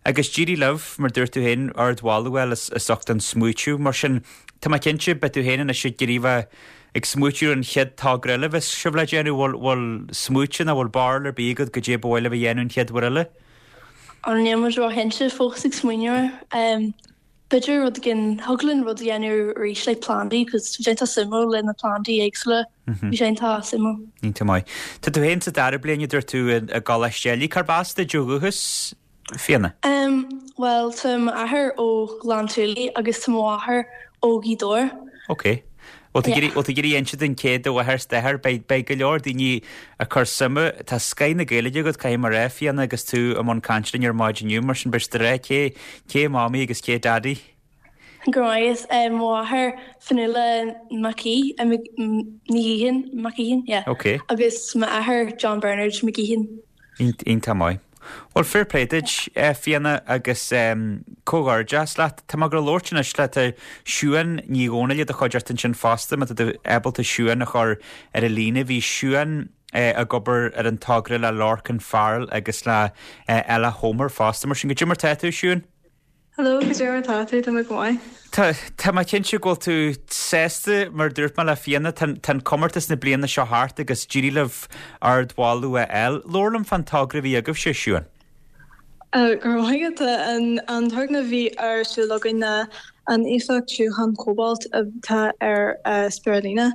Agus d'éirigh libh, mar dúirt tú féin, ardmholadh a fháil as, as ucht an smaoitiú mar sin Tá mé cinnte, beidh tú féin anois ag iarraidh bheith ag smaoitiú ar an chéad togra eile a bheas sibh le déanamh, bhfuil, bhfuil smaoite nó bhfuil barúil ar bith agat goidé ba mhaith libh a dhéanamh an chéad uair eile? Ó níl muid róchinnte fós ag smaoineamh air. B'fhéidir rud éigin, thig linn rud a dhéanamh arís le plandaí cos bhí sé iontach suimiúil le na plandaí éagsúla, bhí sé iontach suimiúil. Iontach maith. Tá tú féin sa dara bliain a dúirt tú i gColáiste Ailigh, cárb as duit ó dhúchas? Fiona. Em, bhuel, tá m'athair ó Ghleann tSúilí agus tá mo mháthair ó Ghaoth Dobhair. Ok. Bhfuil tú ag iarraidh, bhfuil tú ag iarraidh inse dúinn cé do mháthair is d'athair? Beidh, beidh go leor daoine ag cur suime. Tá scoith na Gaeilge agat, caithfidh mé a rá, Fiona, agus tú i mbun cainte linn ar maidin inniu, mar sin beidh tú ag rá cé, cé Mamaí agus cé Daidí. Go raibh maith agat. Mo mháthair, Fionnuala Mac Aoidh, Ní Ghaoithin, Mac Aoidhin, yeah. Ok. Agus m'athair, John Bernard McGeehan. Iontach maith. Bhuel, fair play duit, Fiona, agus comhghairdeas leat. Tá mé ag gabháil a labhairt anois le tá Siún Ní Dhomhnaill i do chuideachta ansin fosta, má tá tú ábalta Siún a chur ar an líne. Bhí Siún ag obair ar an togra le Lorcan Farrell agus le Ella Homer fosta. Mar sin, goidé mar tá tú, Siún? Hello, goidé mar tá tú? Tá mé go maith. Tá, tá mé cinnte go bhfuil tú sásta, mar a dúirt mé le Fiona, tá, tá an comórtas na bliana seo thart agus d'éirigh libh ardmholadh a fháil. Labhair liom fán togra a bhí agaibhse, Siún. Go raibh maith agat. An, an turgnamh a bhí ar siúl againn ná an éifeacht tiúchan cóbalt atá ar spirulina.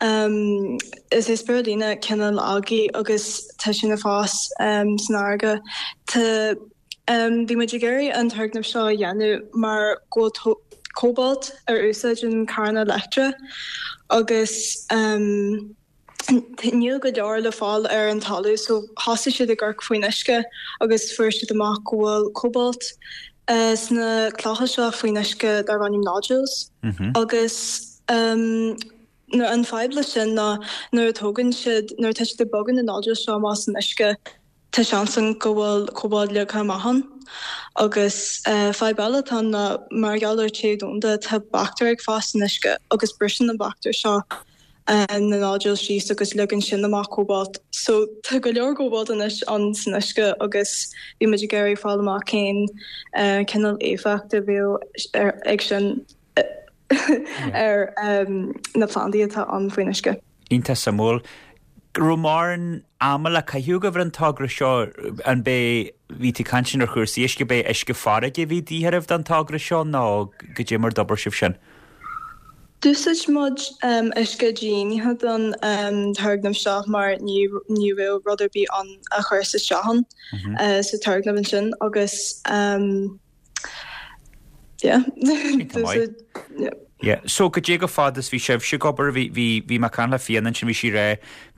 Is é spirulina cineál algae agus tá sin ag fás san fharraige. Tá. Bhí muid ag iarraidh an turgnamh seo a dhéanamh mar go bhfuil cóbalt ar úsáid in carranna leictreacha agus níl go leor le fáil ar an talamh so thosaigh siad ag amharc faoin uisce agus fuair siad amach go bhfuil cóbalt sna clocha seo faoin uisce darb ainm nodules agus an fadhb leis sin ná nuair a tógann siad, nuair atá siad ag bogadh na nodules seo amach as an uisce, Tá seans ann go bhfuil cóbalt leagtha amach ann. Agus fadhb eile atá ann ná mar gheall ar téamh domhanda tá baictéir ag fás san uisce agus briseann na baictéir seo na nodules síos agus leagann sin amach cóbalt. So tá go leor cóbalt anois ann san uisce agus bhí muid ag iarraidh fáil amach cén cineál éifeacht a bheadh ag sin ar na plandaí atá ann faoin uisce. Iontach suimiúil. Raibh mórán ama le caitheamh agaibh ar an togra seo? An b'é, bhí tú ag caint ar chúrsaí uisce, b'é uisce farraige a bhí de dhíth oraibh don togra seo nó goidé mar d'obair sibh sin? D'úsáid muid uisce dídhaonnaithe don turgnamh seo mar ní ní raibh rud ar bith ann a chuirfeas isteach ann sa turgnamh ansin agus Yeah. Iontach maith. Yeah. Yeah. So goidé chomh fada is bhí sibhse ag obair, bhí, bhí, bhí mé ag caint le Fiona ansin, bhí sí ag rá,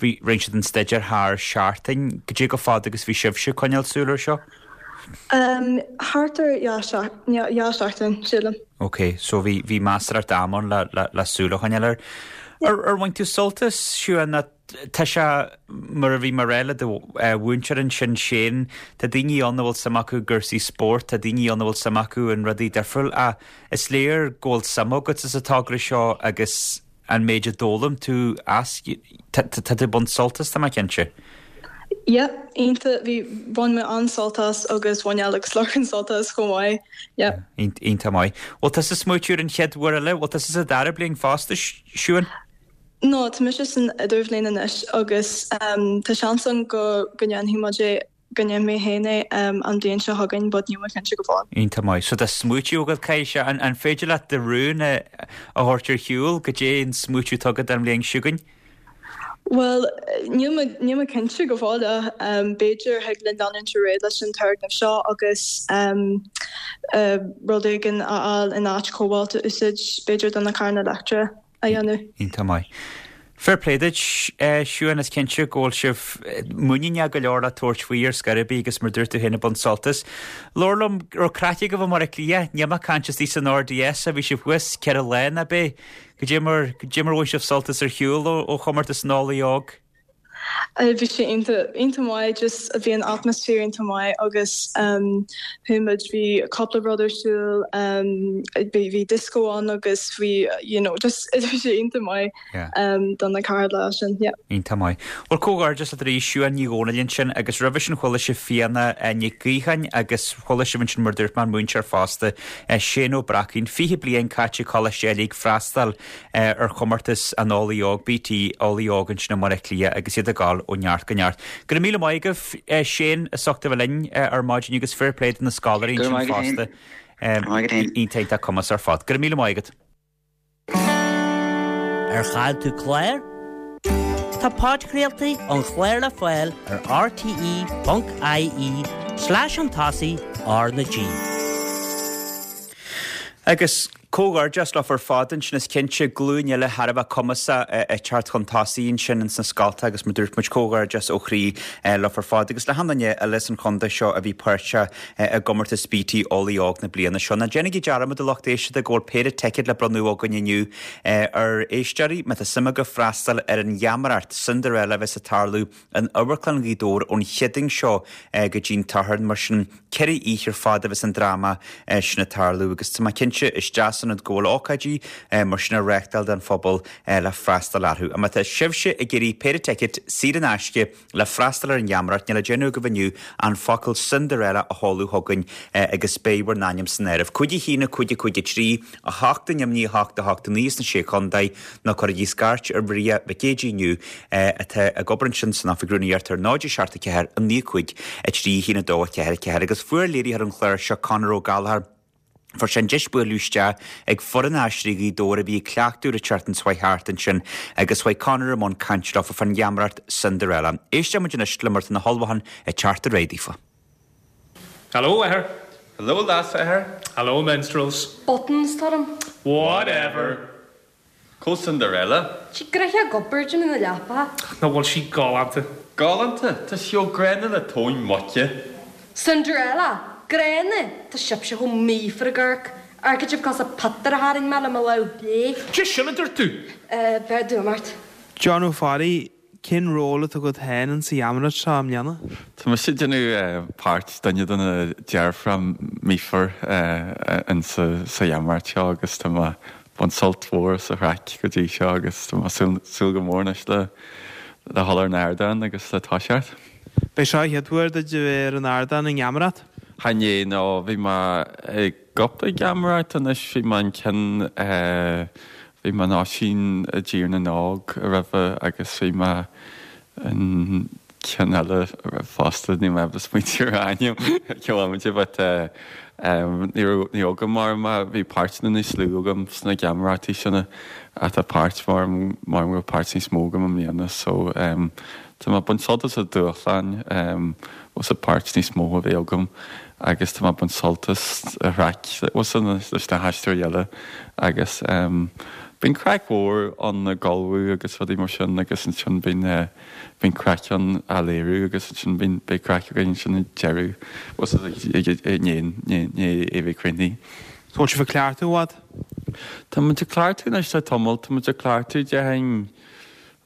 bhí, rinne siad an staidéar thar seachtain, goidé chomh fada agus bhí sibhse ag coinneáil súil ar seo? Um, thart ar dhá seach, dhá seachtain, sílim. Ok, so bhí, bhí measarthacht ama ann le, le, le súil a choinneáil air. Ar, ar bhain tú sult as, Siún, nó Tá sé, mar a bhí mé ag rá le do mhúinteoir ansin, Shane, tá daoine ann a bhfuil suim acu i gcúrsaí spóirt, tá daoine ann a bhfuil suim acu in rudaí difriúil ach is léir go bhfuil suim agat sa togra seo agus an méid a d'fhoghlaim tú as, tá tú ag baint sult as, tá mé cinnte. Yeah, iontach, bhí, bhain mé an-sult as agus bhain Ella agus Lorcan sult as chomh maith, yeah. Iontach maith. Bhfuil tusa ag smaoitiú ar an chéad uair eile? Bhfuil tusa sa dara bliain fosta, Siún? No, tá mise san idirbhliain anois agus tá seans ann go go ndéanfaidh muid é, go ndéanfaidh mé féin é an bhliain seo chugainn but níl mé cinnte go fóill. Iontach maith. So tá smaoitiú agat, caithfidh sé, an féidir leat do rún a thabhairt ar shiúl, goidé an smaoitiú atá agat don bhliain seo chugainn? Bhuel, níl mé, níl mé cinnte go fóill ach b'fhéidir thig linn leanúint ar aghaidh leis an turgnamh seo agus rud éigin a fháil in áit cobalt a úsáid, b'fhéidir do na carranna leictreacha a dhéanamh. Iontach maith. Fair play duit, Siún, is cinnte go bhfuil sibh muiníneach go leor le tabhairt faoi ar scor ar bith agus mar dúirt tú féin ag baint sult as. Labhair liom, raibh craic agaibh i mBaile Átha Cliath, níl mé ag caint istigh san RDS a bhí sibh thuas 4 lá ná b'é? Goidé mar, goidé mar bhain sibh sult as ar shiúl ó chomórtas an Eolaí Óg? Bhí sé iontach, iontach maith, just bhí an atmaisféar iontach maith agus chuaigh muid, bhí cúpla rud ar siúl, bhí, bhí disco ann agus bhí, you know, just bhí sé iontach maith don na 4 lá sin, yeah. Iontach maith. Bhuel, comhghairdeas leat arís, Siún Ní Dhomhnaill ansin agus roimhe sin chuala sibh Fíona Nic Gaocháin agus chuala sibh ansin mar dúirt mé an múinteoir fosta, Shane Ó Bracaín, 20 bliain caite ag Coláiste Ailigh ag freastal ar chomórtas an Eolaí Óg, BT Eolaí Óg ansin i mBaile Átha Cliath agus iad ag gabháil ó neart go neart. Go raibh míle maith agaibh, Shane, as ucht a bheith linn ar maidin agus fair play do na scoláirí ansin fosta. Iontach iontach cumas ar fad. Go raibh míle maith agat. Ar chaill tú clár? Tá podchraoltaí an chláir le fáil ar rte.ie slash chun tosaigh R na G. Agus comhghairdeas leofa ar fad ansin, is cinnte, glúin eile thar a bheith cumasach ag teacht chun tosaigh ansin ins na scolta agus mar dúirt muid, comhghairdeas ó chroí leofa ar fad agus le hachan duine eile san chontae seo a bhí páirteach i gcomórtas BT Eolaí Óg na bliana seo. Ná déanaigí dearmad, a lucht éisteachta, go bhfuil péire ticéad le bronnadh againn inniu ar éisteoirí má tá suim agaibh freastal ar an gheamaireacht Cinderella a bheas ag tarlú in Amharclann Ghaoth Dobhair ón Chéadaoin seo go dtí'n tSatharn. Mar sin, 4 oíche ar fad a bheas an dráma sin ag tarlú agus tá mé cinnte is deas an rud go bhfuil ócáidí mar sin á reáchtáil don phobal le freastal orthu. Má tá sibhse ag iarraidh péire ticéad saor in aisce Le freastal ar an gheamaireacht, níl le déanamh agaibh inniu ach an focal Cinderella a sheoladh chugainn agus beidh bhur n-ainm san áireamh. 5 1 5 5 3 8 9 8 8 9 sna Sé Chontae nó cuirigí scairt ar Mharia Mhic Géidigh inniu atá ag obair ansin san Oifig Rúnaíochta ar 0 7 4 9 5 3 1 2 4 4 agus fuair léiritheoir an chláir seo Conor Ó Gallchóir Fuair sé an deis bualadh isteach ag foireann Aisteoirí Ghaoth Dobhair a bhí ag cleachtadh an tseachtain seo chuaigh thart ansin agus chuaigh Conor i mbun cainte leofa fán gheamaireacht Cinderella. Éisteoidh muid anois le mar tá na hullmhúcháin ag teacht ar aghaidh daofa. Hello, athair. Hello, leas-athair. Hello, minstrels. Buttons orm. Whatever. Cá bhfuil Cinderella? Sí gnoitheach ag obair ag déanamh na leapa. Nach bhfuil sí galánta? Galánta? Tá sí chomh gránna le tóin muice. Cinderella! Gránna? Tá sibhse chomh míofar ag amharc. Amharcann sibh cosúil le piotár a tharraing mé le mo lámh chlé. Cad é sin a dúirt tú? Eh, beir d'fhuaim ort. John Ó Fearraigh, Cén ról atá agat féin in sa gheamaireacht seo i mbliana? Tá mise ag déanamh páirt duine de na deirfiúracha míofar in sa gheamaireacht seo agus tá mé ag baint sult mhór as an chraic go dtí seo agus tá mé ag súil go mór anois le dhul ar an ardán agus le toiseacht. B'é seo an chéad uair duit a bheith ar an ardán i ngeamaireacht? Chan ea, no, bhí mé i gcúpla geamaireacht anois, bhí mé an ceann Bhí mé in Oisín i dTír na nÓg roimhe agus bhí mé in ceann eile fosta, níl mé ábalta smaointiú ar a ainm ag an bhomaite but ní raibh ní raibh agam mar ma bhí páirteanna níos lú agam sna geamaireachtaí sin ach tá páirt mar mar go bhfuil páirt níos mó agam i mbliana so tá mé ag baint sult as an dúshlán agus an páirt níos mó a bheith agam. agus tá mé ag baint sult as an chraic leis na haisteoirí eile agus bíonn craic mhór ann ag ullmhú agus rudaí mar sin agus ansin bíonn bíonn craic ann á léiriú agus ansin bíonn beidh craic againn ansin ag deireadh i ndiaidh é bheith críochnaithe. Bhfuil sibh ag cleachtadh i bhfad? Tá muid ag cleachtadh anois le tamall, tá muid ag cleachtadh déarfainn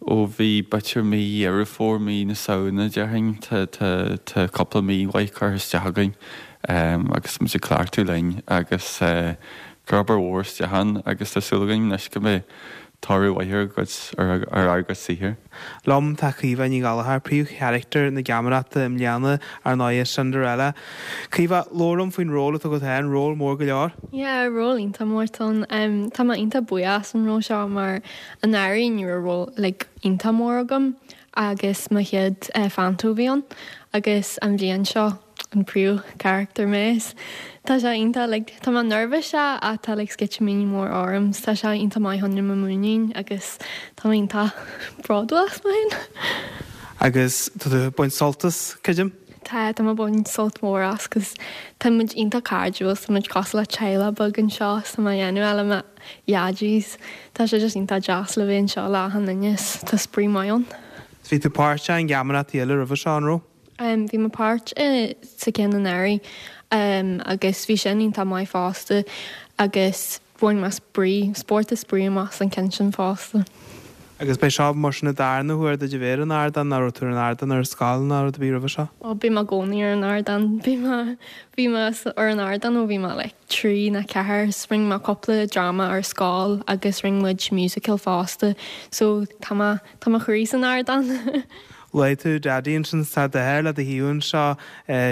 Ó bhí b'fhéidir mí Dheireadh Fómhair, mí na Samhna déarfainn, tá, tá, tá cúpla mí mhaith curtha isteach againn agus muid ag cleachtadh linn agus cur obair mhór isteach ann agus tá súil againn anois go mbeidh. toradh mhaith ar a gcuid, ar ár gcuid saothair. Liom tá Caoimhe Ní Ghallchóir, príomhcharachtar na geamaireachta i mbliana, ar ndóigh, Cinderella. Caoimhe, labhair liom faoin ról atá agat féin, ról mór go leor. Yeah, ról iontach mór atá ann. Tá mé iontach buíoch as an ról seo mar anuraidh ní raibh ról like iontach mór agam agus mo chéad phanto a bhí ann agus an bhliain seo an príomhcharachtar mé is tá sé iontach like tá mé nervous sea ach tá like sceitimíní mór orm 's tá sé iontach maith fá choinne mo mhuinín agus tá mé iontach bródúil as mé féin. Agus tá tú ag baint sult as, creidim? Tá, tá mé ag baint sult mór as 'cause tá muid iontach cairdiúil 's tá muid cosúil le teaghlach beag anseo 's tá mé ag déanamh le mo dhaidí 's tá sé just iontach deas le bheith anseo le achan duine 's tá spraoi maith ann. 'S bhí tú páirteach i ngeamaireachtaí eile roimhe seo, an raibh? Bhí mé páirt sa ceann anuraidh agus bhí sin iontach maith fosta agus bhain mé spraoi, spórt is spraoi amach as an ceann sin fosta. Agus b'é seo mar sin an darna huair duit a bheith ar an ardán, nó raibh tú ar an ardán ar scoil nó rud ar bith roimhe seo? Ó bím i gcónaí ar an ardán, bhí mé, bhí mé ar an ardán ó bhí mé like 3 nó 4, 's rinne mé cúpla dráma ar scoil agus rinne muid musical fosta so tá mé, tá mo chroí san ardán. Luaigh tú Daidí ansin tá d'athair le do thaobh anseo,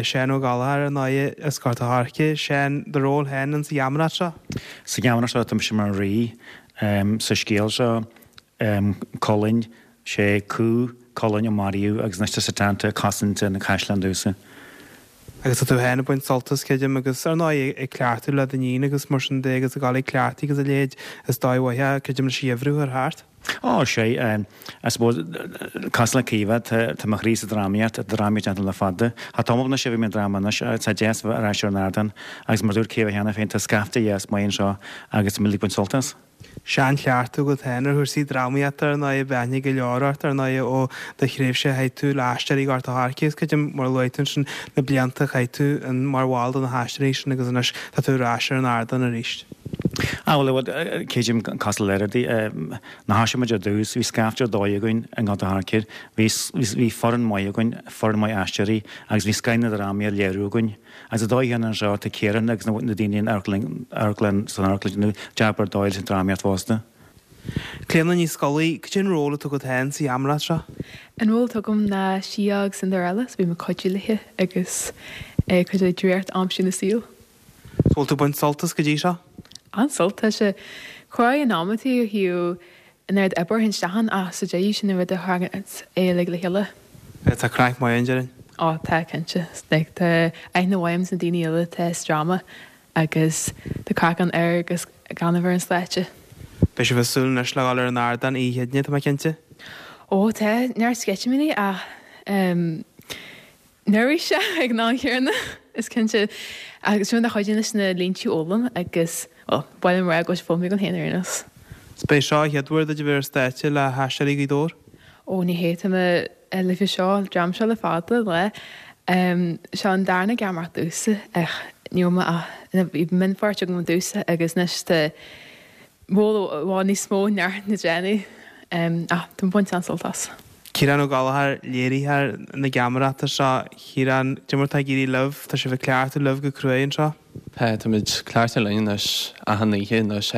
Seán Ó Gallchóir, ar ndóigh, as Gort a' Choirce. Seán, do ról féin insa gheamaireacht seo? Sa gheamaireacht seo tá mise mar rí. Sa scéal seo, Culainn, sé Cú Chulainn a maraíodh agus anois tá Setanta ag cosaint an chaisleáin domhsa. Agus tá tú féin ag baint sult as, creidim, agus ar ndóigh ag cleachtadh le d'iníon agus mar sin de agus ag dul ag cleachtaí agus a leithéid, is dóigh mhaith é, creidim, leis an gheimhreadh a chur thart. Ó, sea, I suppose, cosúil le Caoimhe, tá mo chroí sa drámaíocht, tá drámaíocht déanta le fada. Tá tamall anois ó bhí mé i ndráma anois, tá deas a bheith ar ais ar an ardán agus mar a dúirt Caoimhe cheana féin, tá scaifte dheas maith anseo agus tá muid ag baint sult as. Seanchleachtadh agat féin ar chúrsaí drámaíochta ar ndóigh, beidh aithne go leor ort ar ndóigh ó do thréimhse a chaith tú le hAisteoirí Ghort a' Choirce agus creidim, mar a luaigh tú ansin, na blianta a chaith tú mar bhall de na hAisteoirí sin agus anois tá tú ar ais ar an ardán arís. Ah bhuel, creidim, cosúil le rudaí, nuair a thosaigh muid ar dtús, bhí scaifte ar dóigh againn i nGort a' Choirce, bhí, bhí foireann maith againn, foireann maith aisteoirí agus bhí scoth na drámaí á léiriú againn. Agus an dóigh chéanna anseo, tá Ciarán agus na daoine in amharclann, amharclann, san amharclann ag déanamh jab ar dóigh leis an drámaíocht fosta. Clíona Ní Scolaí, cad é an ról atá agat féin sa gheamaireacht seo? An ról atá agam ná Síóg Cinderella, so bím ag cuidiú léi agus ag cuidiú léi draíocht a aimsiú ina saol. So bhfuil tú ag baint sult as go dtí seo? An-sult, tá sé cruaidh in amantaí ó thaobh an oiread oibre a théann isteach ann ach sa deireadh sin an rud a tharraingíonn é uilig le chéile. Tá craic maith ann, déarfainn. Ó tá, cinnte. Like tá aithne mhaith agam sna daoine uile atá sa dráma agus tá craic ann ar agus gan a bheith ar an stáitse. Beidh sibh ag súil anois le dhul ar an ardán oíche Chéadaoine, tá mé cinnte. Ó tá, neart sceitimíní ach ehm neirbhíseach ag an am chéanna, is cinnte. Agus sin rud a chuidíonn leis na línte a fhoghlaim agus, bhuel, ba mhaith liom a rá go bhfuil sé foghlamtha agam féin ar aon nós. 'S b'é seo an chéad uair duit a bheith ar stáitse le hAisteoirí Ghaoth Dobhair? Ó, ní hé, tá mé leis seo, an dream seo le fada, le. Seo an darna geamaireacht domhsa ach ní raibh mé ach, bhí mionpháirt agam i dtús agus anois tá ról i bhfad níos mó neart le déanamh ach tá mé ag baint an-sult as. Ciarán Ó Gallchóir, léiritheoir na geamaireachta seo. Ciarán, cad é mar atá ag éirí libh? Tá sibh ag cleachtadh libh go cruaidh anseo? Tá, táimid ag cleachtadh linn anois achan oíche anois,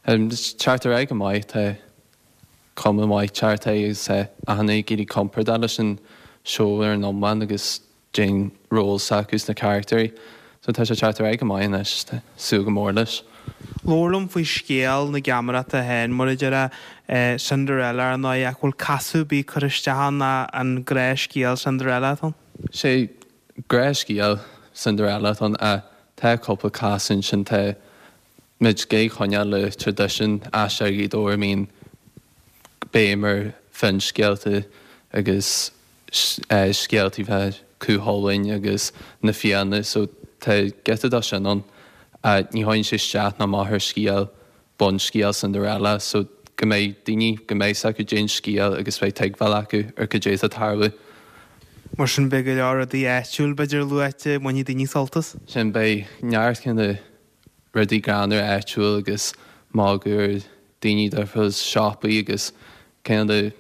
agus teacht ar aghaidh go maith, tá cuma mhaith teacht agus tá achan duine ag éirí compordach leis an seó ar an iomlán agus Cén ról s'acu sna caractéirí. So tá sé teacht ar aghaidh go maith anois, tá súil go mór leis. Labhair liom faoi scéal na geamaireachta féin, mar a déarfá, Cinderella ar ndóigh, ach bhfuil casadh ar bith curtha isteach ann nó an gnáthscéal Cinderella atá ann? Sé gnáthscéal Cinderella atá ann ach tá cúpla casadh ansin, tá muid ag coinneáil le traidisiún Aisteoirí Ghaoth Dobhair a mbíonn béim ar finscéalta agus scéaltaí fá Cú Chulainn agus na Fianna so tá giota dó sin ann ach ní théann sé isteach ná amach ar scéal, bunscéal Cinderella so go mbeidh daoine, go mbeidh 's acu cén scéal agus beidh tuigbheáil acu ar cad é atá ag tarlú. Mar sin beidh go leor rudaí áitiúil b'fhéidir luaite, bainfidh daoine sult as. Sin, beidh neart kind of rudaí greannmhar áitiúil agus magadh ar daoine difriúil is siopaí agus kind of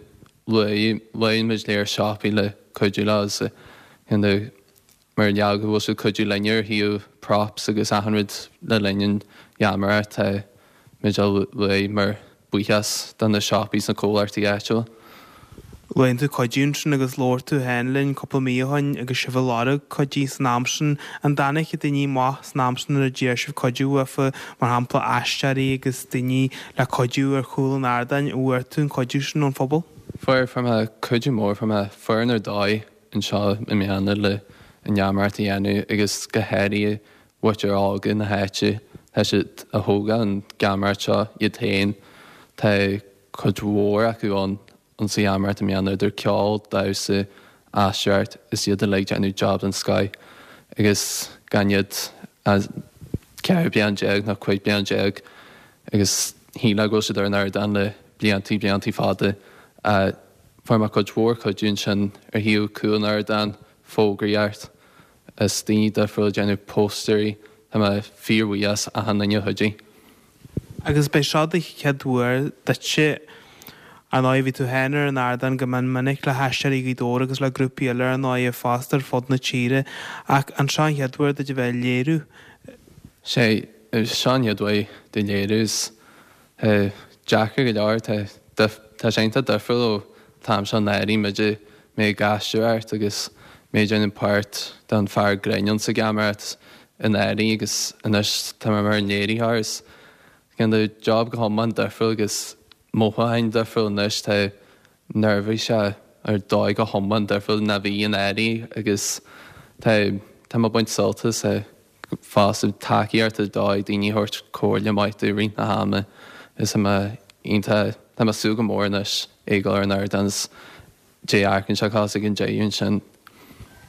luann muid léir siopaí le cuidiú leo is kind of mar gheall go bhfuil siad cuidiú linne ar thaobh props agus achan rud le linn an gheamaireacht tá muid á luaigh mar. Buíochas do na siopaí is na comhlachtaí áitiúla. Luann tú cuidiú ansin agus labhair tú féin linn cúpla mí ó shin agus sibh ag lorg cuidiú san am sin. An dtáinig daoine amach san am sin nuair a d'iarr sibh cuidiú uafa, mar shampla aisteoirí agus daoine le cuidiú ar chúl an ardáin, an bhfuair tú an cuidiú sin ón phobal? Fuair, fuair mé cuidiú mór, fuair mé foireann ar dóigh anseo i mbliana le an gheamaireacht a dhéanamh agus go háirithe mhuintir óga na háite, tá siad a thógáil an gheamaireacht seo iad féin. Tá cuid mhór acu ann sa gheamaireacht i mbliana, idir ceol, damhsa, aisteoireacht, is iad uilig déanamh job den scoith agus gan iad ach 14 bliain nó 15 bliain agus shílfeá go bhfuil siad ar an ardán le bliantaí, bliantaí fada. Fuair mé cuid mhór cuidiú ansin ar thaobh cúl an ardáin, fógraíocht, is daoine difriúla ag déanamh póstaerí. Tá mé fíorbhuíoch as achan duine a chuidigh. Agus b'é seo do chéad uair duitse, ar ndóigh, bhí tú féin ar an ardán go mion minic le hAisteoirí Ghaoth Dobhair agus le grúpaí eile ar ndóigh fosta ar fud na tíre, ach an seo an chéad uair duit a bheith ag léiriú? Sé, seo an chéad uair domh léiriú is deacair go leor, tá tá sé iontach difriúil ó t-am seo anuraidh, muide, mé ag aisteoireacht agus mé ag déanamh páirt den fear grinn ann sa gheamaireacht anuraidh agus anois tá mé mar an léiritheoir is kind of job go hiomlán difriúil agus mothúcháin difriúil anois, tá neirbhíseach ar dóigh go hiomlán difriúil ná bhí anuraidh agus tá tá mé ag baint sult as fosta tacaíocht ar dóigh, daoine a thabhairt comhairle maith domh i rith na hama is tá mé iontach, tá mé ag súil go mór anois ag dul ar an ardán is dé amharcann sé cosúil ag an deireadh ansin.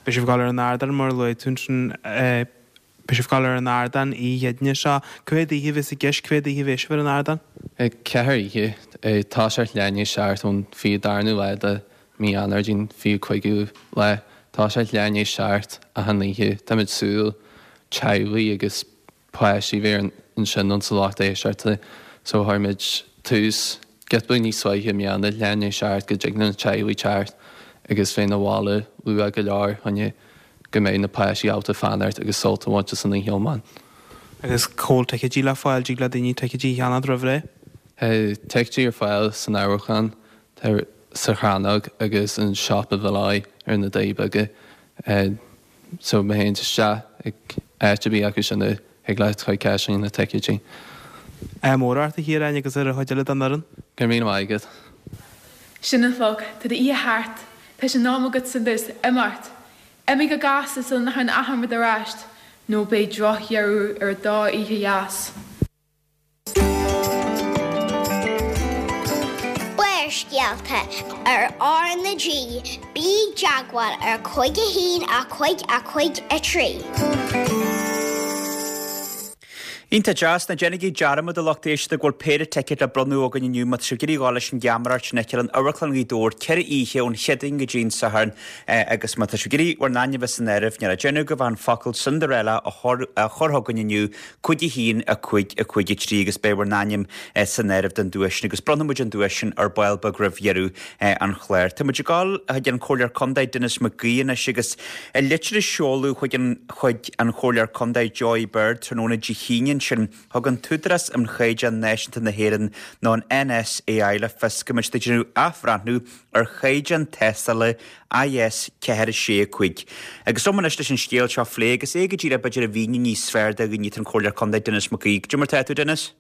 Beidh sibh ag dul ar an ardán mar a luaigh tú ansin, beidh sibh ag dul ar an ardán oíche Chéadaoine seo. Cá mhéad oíche a bheas i gceist, cá mhéad oíche a bheas sibh ar an ardán? 4 oíche, toiseacht leath i ndiaidh 7 ón 22ú lá de Mí Eanáir go dtí an 25ú lá. Toiseacht leath i ndiaidh 7 achan oíche. Táimid súil teaghlaigh agus páistí bheith ansin ann sa lucht éisteachta so chuir muid tús giota beag níos luaithe i mbliana, leath i ndiaidh 7 go dtig le na teaghlaigh teacht agus bheith 'na bhaile luath go leor choinne go mbeidh na páistí ábalta fanacht agus sult a bhaint as an oíche iomlán. Agus cá bhfuil ticéidí le fáil, dtig le daoine ticéidí a cheannacht roimh ré? Tá ticéidí ar fáil san Amharclann. Tá sa Chrannóg agus an Siopa Mholloy ar na Doirí Beaga so má théann tú isteach ag áit ar bith acu sin thig leat cur ceist faoi na ticéidí. Ádh mór ort a Chiaráin agus ar an chuid eile den fhoireann. Go raibh míle maith agat. Sin an chlog. Tá d'oíche thart. Tá sé in am agat agus imeacht. Imigh go gasta sula n-athraíonn achan rud ar ais, nó beidh drochdheireadh ar an dá oíche dheas. Barrscéalta ar R na G, bí i dteagmháil ar 5 1 5 5 3. Iontach deas, ná déanaigí dearmad a lucht éisteachta go bhfuil péire ticéad le bronnadh againn inniu má tá sibh ag iarraidh a ghabháil leis an gheamaireacht sin a fheiceáil in Amharclann Ghaoth Dobhair, 4 oíche ón Chéadaoin go dtí an Satharn agus má tá sibh ag iarraidh bhur n-ainm a bheith san áireamh, níl le déanamh agaibh ach an focal Cinderella a chur chugainn inniu 5 1 5 5 3 agus beidh bhur n-ainm san áireamh don duais sin agus bronnfaidh muid an duais sin ar ball beag roimh dheireadh an chláir. Tá muid ag dul chuig an Comhairleoir Contae Denis McGee anois agus i litir a seoladh chuig an chuig an Chomhairleoir Contae Joy Bird tráthnóna Dé hAoine ansin thug an tÚdarás um Chaighdeáin Náisiúnta na hÉireann nó an NSAI le fios go mbeidh siad ag déanamh athbhreathnú ar chaighdeán tástála IS 4 6 5. Agus liom anois leis an scéal seo a phlé agus é go díreach b'fhéidir a mhíniú níos fearr do dhaoine tá an Comhairleoir Contae Denis McGee. Cad é mar tá tú, Denis?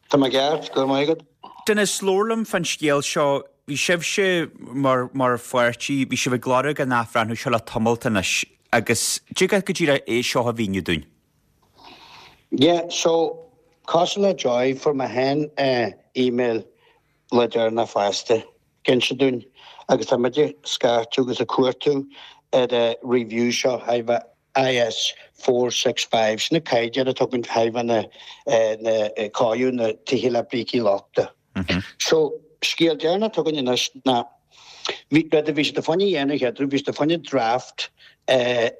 Tá mé ceart, go raibh maith agat. Denis, labhair liom fán scéal seo. Bhí sibhse mar mar pháirtí, bhí sibh ag lorg an athbhreathnú seo le tamalt anois agus dtig leat go díreach é seo a mhíniú dúinn? Yeah, so, cosúil le Joy, fuair mé féin email le deireanach fosta. Ag inse dúinn agus tá muid ag scairteadh agus ag cuartú ar an review seo thaobh IS 465, sin na caighdeáin atá againn thaobh na cóiriú na tithe le brící lochta. So, scéal deireanach atá againn anois ná bhí rud a bhí siad fá choinne a dhéanamh chéad bhí siad fá choinne draft a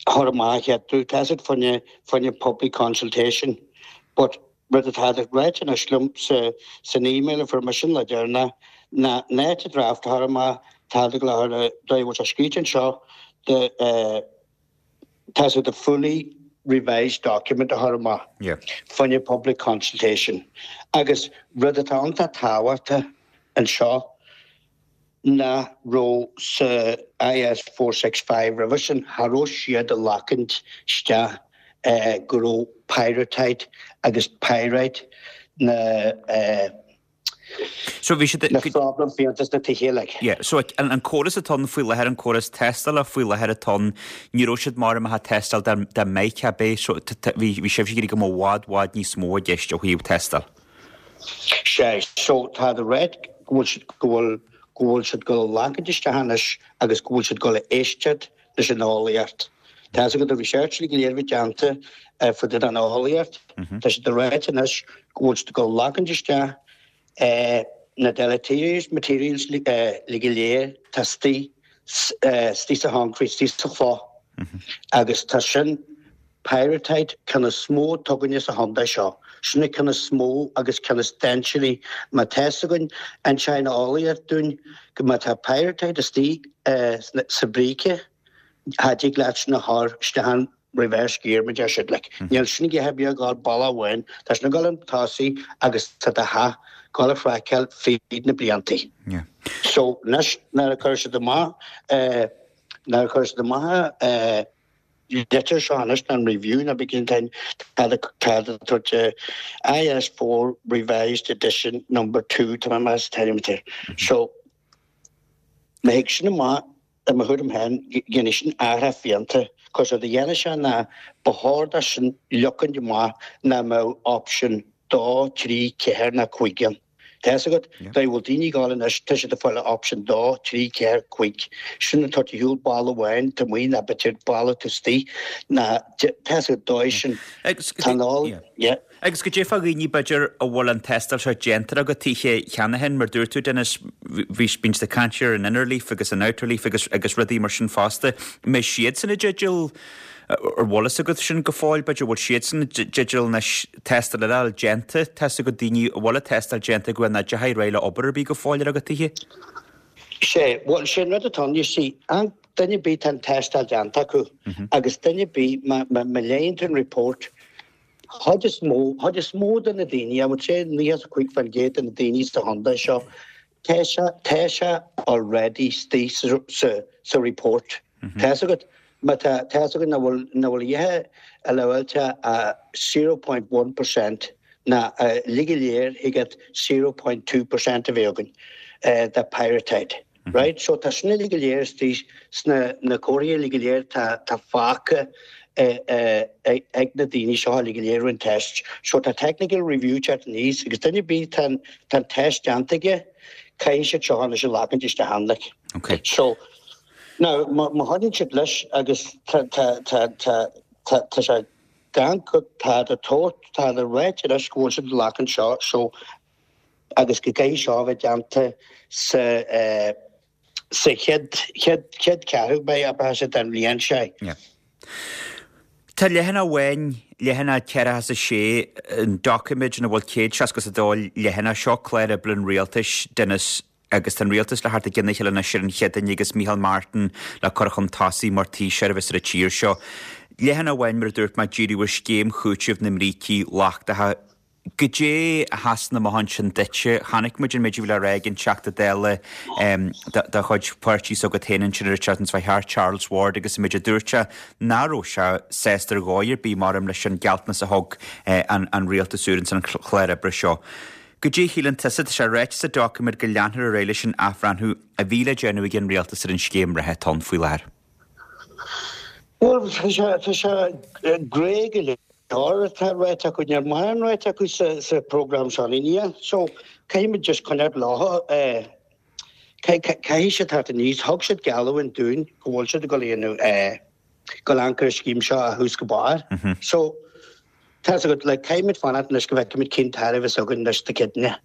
chur amach chéad tá siad fá choinne fá choinne public consultation but Rud atá ráite anois liom san email a fuair mise an lá deireanach ná in áit an draft a chur amach tá ag dul a chur dóigh a bhfuil sé scríte anseo the tá siad ag fully revised document a chur amach fá choinne public consultation agus rud atá iontach tábhachtach anseo nach raibh sa IS 465 roimhe sin, cha raibh siad ag lachaint isteach go raibh pyrrhotite agus pyrite na So bhí siad. Na problem fiánta sna tithe like. Yeah, so an córas atá ann faoi láthair, an córas tástála faoi láthair atá ann, ní raibh siad mar a mbeadh tástáil dá dá mbeadh ab é, so bhí bhí sibhse ag iarraidh go mbeadh i bhfad bhfad níos mó i gceist ó thaobh tástáil. Sea, so tá siad ag ráit go bhfuil siad go bhfuil go bhfuil siad ag dul a lachaint isteach anois agus go bhfuil siad ag dul a éisteacht leis an eolaíocht. Tá fhios agat an research go léir a bhí déanta fá dtaobh den eolaíocht. Tá siad ag ráit anois go bhfuil siad ag dul a lachaint isteach na deleterious materials le go léir tá istigh istigh sa choncrete, istigh sa chloch agus tá sin Pyrrhotite ceann is mó atá againne sa chontae seo. Sin an ceann is mó agus ceann is dainséaraí. Má tá fhios againn, inseoidh an eolaíocht dúinn go má tá pyrrhotite istigh sa bhríce, cha dtig leat sin a chur isteach in reverse gear mar deir siad. Like, níl sin ag ithe beag ag dul bealach amháin, tá sin ag dul chun tosaigh agus tá do theach ag dul a chraiceáil fríd na bliantaí. So, anois nuair a chuir siad amach, nuair a chuir siad amach litir seo anois ná an review ná begin time tá tá tabhairt IS 4 revised edition number 2 tá mé meas teirimetar so má thig sin amach i mo thuairim féin dhéanfaidh sin athrá fiánta cos rud a dhéanfaidh sé ná ba chóir dó sin leocaint amach nach mbeadh option 2, 3, 4 ná 5 ann. Tá fhios agat, dá bhfuil daoine ag gabháil anois, tá siad ag fáil option 2, 3, 4, 5. Sin an tabhairt ar shiúl balla amháin taobh amuigh ná b'fhéidir balla taobh istigh ná tá fhios agat dóigh sin. Tá an ól, yeah. Agus goidé fá dhaoine b'fhéidir a bhfuil an tástáil seo déanta acu tithe cheana féin, mar dúirt tú Denis, bhí, bíonn siad ag caint ar an inner leaf agus an outer leaf agus agus rudaí mar sin fosta. Mbeidh siadsan i dteideal Ar bhfuil fhios agat sin go fóill, b'fhéidir, bhfuil siadsan i dteideal anois tástáil eile a fháil déanta, tá fhios agat daoine a bhfuil an tástáil déanta acu nach dteachaigh ar aghaidh le obair ar bith go fóill ar a gcuid tithe? Sé, bhuel, sé an rud atá ann, you see, an duine ar bith tá an tástáil déanta acu agus duine ar bith, má, má, má léann tú an report, chuid is mó, chuid is mó de na daoine, I would say 95% de na daoine sa chontae seo, Tá sé, tá sé already istigh sa, sa, sa report. Tá fhios agat, má tá, tá fhios agat nach bhfuil, nach bhfuil a dhath allowáilte ach 0.1% ná uilig go léir thig leat 0.2% a bheith againn de pyrrhotite. Right? So tá sin uilig go léir istigh sna, na comharthaí uilig go léir tá, tá fágtha ag na daoine seo uilig go léir an test. So tá technical review teacht aníos agus duine ar bith tá an tá an test déanta aige caithfidh siad seo anois a leagaint isteach ann like. Okay. So now má má choinníonn siad leis agus tá tá tá tá tá tá sé gan tá tá tabhairt tá le ráit anois go bhfuil siad ag leagaint seo so agus go gcaithfidh seo a bheith déanta sa eh, sa chéad, chéad, chéad cheathrú beidh ab ea sé den bhliain seo. Yeah. Tá leathanach amháin, leathanach 46, an doiciméad ina bhfuil 162 leathanach, seo clár oibre an rialtais, Denis, agus tá an rialtas le theacht i gcionn a chéile anois ar an Chéadaoin agus Micheál Martin le cur chun tosaigh mar Taoiseach a bheas ar an tír seo. Leathanach amháin, mar a dúirt mé, díriú ar scéim chúitimh na mbrící lochtacha. Goidé a sheasann amach ansin duitse? Chonaic muid an méid a bhí le rá ag an Teachta Dála de chuid páirtí s'agat féin ansin ar an tseachtain seo thart, Charles Ward, agus an méid a dúirt sé nach raibh sé sásta ar dhóigh ar bith maram leis an gealltanas a thug an rialtas úr ins an chlár oibre seo. Goidé a shíleann tusa? Tá sé ráite sa doiciméad go leanfar ar aghaidh leis an athbhreithniú a bhí le déanamh ag an rialtas ar an scéim reatha atá ann faoi láthair. Bhuel, tá sé, tá sé grey go leor atá ráite acu, níl mórán ráite acu sa, sa program seo, ní níl. So, caithfidh muid just coinneáil leo, eh, caithfidh siad teacht aníos. Thug siad geallúint dúinn go bhfuil siad ag dul a dhéanamh, eh, go leanfar an scéim seo ó thús go barr. So, tá fhios agat, like, caithfidh muid fanacht anois go bhfeicfimid cén tairbhe a bheas againn anois Dé Céadaoine.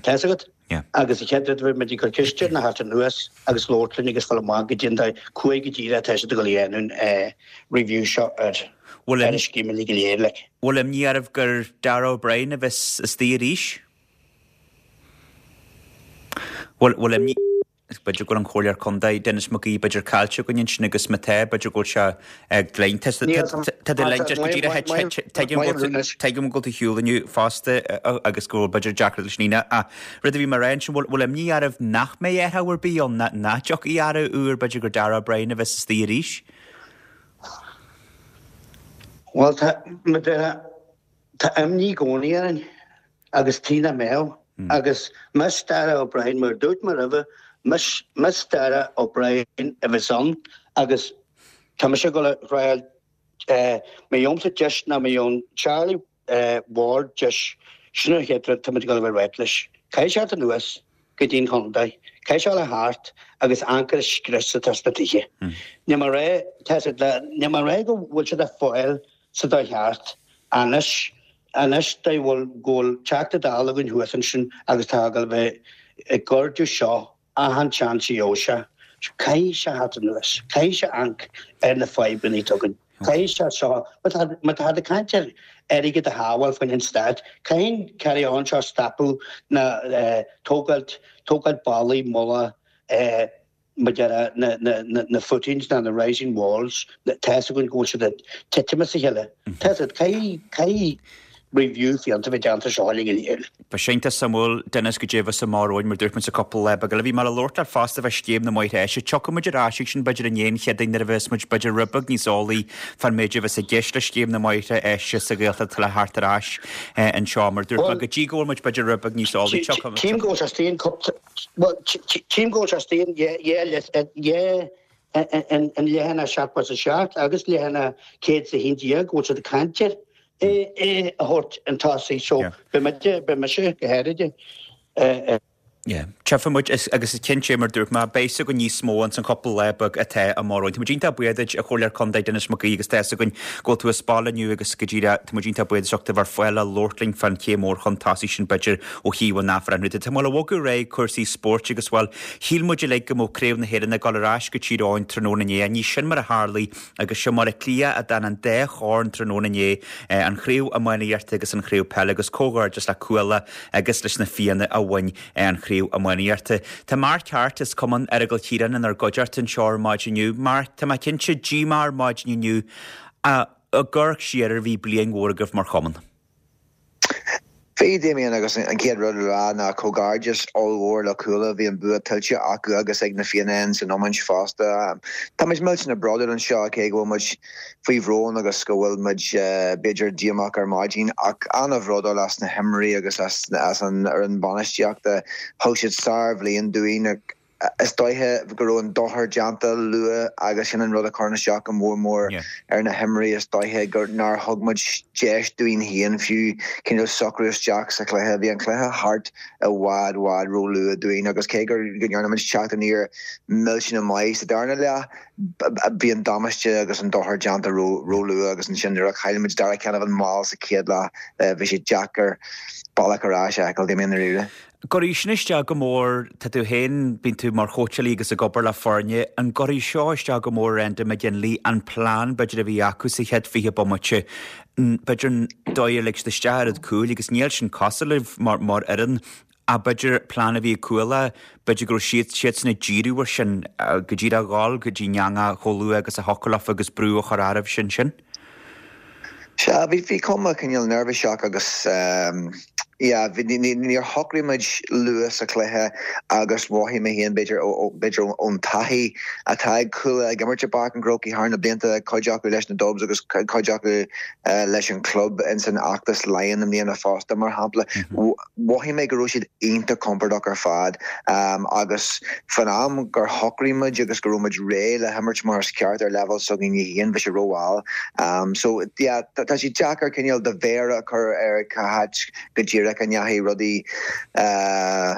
Tá fhios agat? Agus an chéad rud a bheidh muid ag cur ceist air ná theacht anuas agus labhairt linn agus fáil amach goidé an dóigh cá go díreach atá siad ag dul a dhéanamh an review seo ar ar an scéim uilig go léir like. Bhfuil imní oraibh gur Darragh O'Brien a bheas istigh arís? Bhfuil imní. B'fhéidir go bhfuil an Comhairleoir Contae, Denis Mac Aoidh, b'fhéidir caillte againn ansin agus má tá, b'fhéidir go bhfuil sé ag linn. Tá tú linn go díreach, tuigim go bhfuil tú ar shiúl inniu fosta agus go bhfuil b'fhéidir deacracht leis an líne ach rud a bhí mé a rá ansin, bhfuil imní oraibh nach mbeidh athrú ar bith ann, nach dtiocfaidh athrú úr, b'fhéidir gur Darragh O'Brien a bheas istigh arís? Bhuel, tá, tá imní i gcónaí orainn. Agus tuige nach mbeadh. Agus más Darragh O'Brien, mar a dúirt mé roimhe, más, más Darragh O'Brien a bheas ann agus tá mise ag dul a thriáil, má gheobhaimse deis nó má gheobhann Charlie Ward deis, sin an chéad rud tá muid ag dul a bheith ag ráit leis. Caithfidh sé teacht anuas go dtí an chontae, caithfidh sé a thart agus amharc ar an scrios atá sna tithe. Níl mé ag rá, tá siad le, níl mé ag rá go bhfuil siad ag fáil sa dóigh cheart. Anois, anois dá bhfuil, go bhfuil Teachta Dála againn thuas ansin agus tá ag dul a bheith ag cur de seo achan seans a gheobhaidh sé, caithfidh sé theacht anuas, caithfidh sé amharc ar na fadhbanna atá againn, caithfidh sé seo, má tá, má tá ag caint ar airgead a shábháil faoin an stát, caithfidh an carry on seo stopadh na tógáilt, tógáilt ballaí, mullaigh, eh, maidir le na footings ná na rising walls, tá fhios againn go bhfuil siad ag titim as a chéile. Tá fhios agat, caithfidh, caithfidh review fiúntach a bheith déanta seo uilig go léir. Beidh sé iontach suimiúil, Denis, goidé a bheas amach romhainn, mar dúirt muid sa cúpla lá beag eile. Bhí mé le labhairt leat fosta fá scéim na mbóithre áise. Tiocfaidh muid ar ais ag sin b'fhéidir i ndiaidh an Chéadaoin nuair a bheas muid b'fhéidir rud beag níos eolaí fán méid a bheas i gceist le scéim na mbóithre áise sa Ghaeltacht le theacht ar ais anseo. Mar dúirt mé, go dtí go bhfuil muid b'fhéidir rud beag níos eolaí, tiocfaidh. Tchím go bhfuil sé istigh in cúpla, Bhuel, tchím go bhfuil sé istigh in an leathanach 77 agus leathanach 111 go bhfuil siad ag caint air é a thabhairt chun tosaigh. So, beidh muide, beidh mise go háirithe, Yeah. Tchífidh muid, agus is cinnte, mar dúirt mé, beidh fhios againn níos mó ins an chúpla lá beag atá amach romhainn. Tá muid iontach buíoch duit, a Chomhairleoir Contae Denis Mac Aoidh, agus tá fhios againn go bhfuil tú as baile inniu agus go díreach, tá muid iontach buíoch as ucht a bheith ar fáil le labhairt linn fán chéim mhór chun tosaigh sin, b'fhéidir, ó thaobh an athbhreithniú de. Tá mé le bhogadh ar aghaidh cúrsaí spóirt agus, bhuel, shíl muid uilig go mbeadh Craobh na hÉireann ag dul ar ais go Tír Eoghain tráthnóna inné. Ní sin mar a tharlaigh agus is i mBaile Átha Cliath a d'fhan an dá chorn tráthnóna inné, an Chraobh Iománaíochta agus an Chraobh Peile agus comhghairdeas le Cuala agus leis na Fianna a bhain an Chraobh Iománaíochta. Tá Mark Harte as Cumann Errigal Chiaráin inár gcuideachta anseo ar maidin inniu. Mark, tá mé cinnte díomá ar maidin inniu ach ag amharc siar air bhí bliain mhór agaibh mar chumann. Bhí, Damien, agus an chéad rud le rá ná comhghairdeas ollmhór le Cuala, bhí an bua tuillte acu agus ag na Fianna san iomáint fosta. Tá muid millteanach bródúil anseo cé go bhfuil muid faoi bhrón agus go bhfuil muid b'fhéidir díomách ar maidin ach an-bhródúil as na himreoirí agus as an fhoireann bainistíochta. Thug siad sár-bhliain dúinn. Is dóiche go raibh an dochar déanta luath agus sin an rud a chuireann isteach go mór mór ar na himreoirí. Is dóiche gur nár thug muid deis dúinn féin fiú cineál socrú isteach sa chluiche. Bhí an cluiche thart i bhfad bhfad ró-luath dúinn agus cé go ndearna muid teacht aniar millteanach maith sa darna leath, bhí an damáiste agus an dochar déanta ró-luath agus ansin nuair a chaill muid Darragh Canavan mall sa chéad leath bhí sé deacair bealach ar ais a fheiceáil, i ndáiríre. Gcuirfidh sin isteach go mór, tá tú féin, bíonn tú mar chóitseálaí agus ag obair le foirne, an gcuirfidh seo isteach go mór ar Enda McGinley, an plean b'fhéidir a bhí acu sa chéad 20 bomaite, b'fhéidir an dóigh ar lig siad isteach oiread cúil agus níl sin cosúil libh mar mar fhoireann ach b'fhéidir plean a bhí ag Cuala, b'fhéidir go raibh siad siadsan ag díriú ar sin, go díreach a dhul go dtí an eangach chomh luath agus a thiocfadh leofa agus brú a chur oraibh sin sin. Sea, bhí, bhí cuma cineál neirbhíseach agus yeah, bhí, ní, níor shocraigh muid luath sa chluiche agus mhothaigh mé féin b'fhéidir ó, b'fhéidir ón taithí atá ag Cuala ag imirt i bPáirc an Chrócaigh thar na blianta, cuid acu leis na Dubs agus cuid acu leis an chlub ins an fheachtas Laighean i mbliana fosta, mar shampla. Mhothaigh mé go raibh siad iontach compordach ar fad agus fán am gur shocraigh muid agus go raibh muid réidh le himirt mar is ceart ar leibhéal s'againne féin, bhí sé rómhall. So yeah, tá sé deacair cineál do mhéar a chur ar cá háit go díreach a ndeachaigh rudaí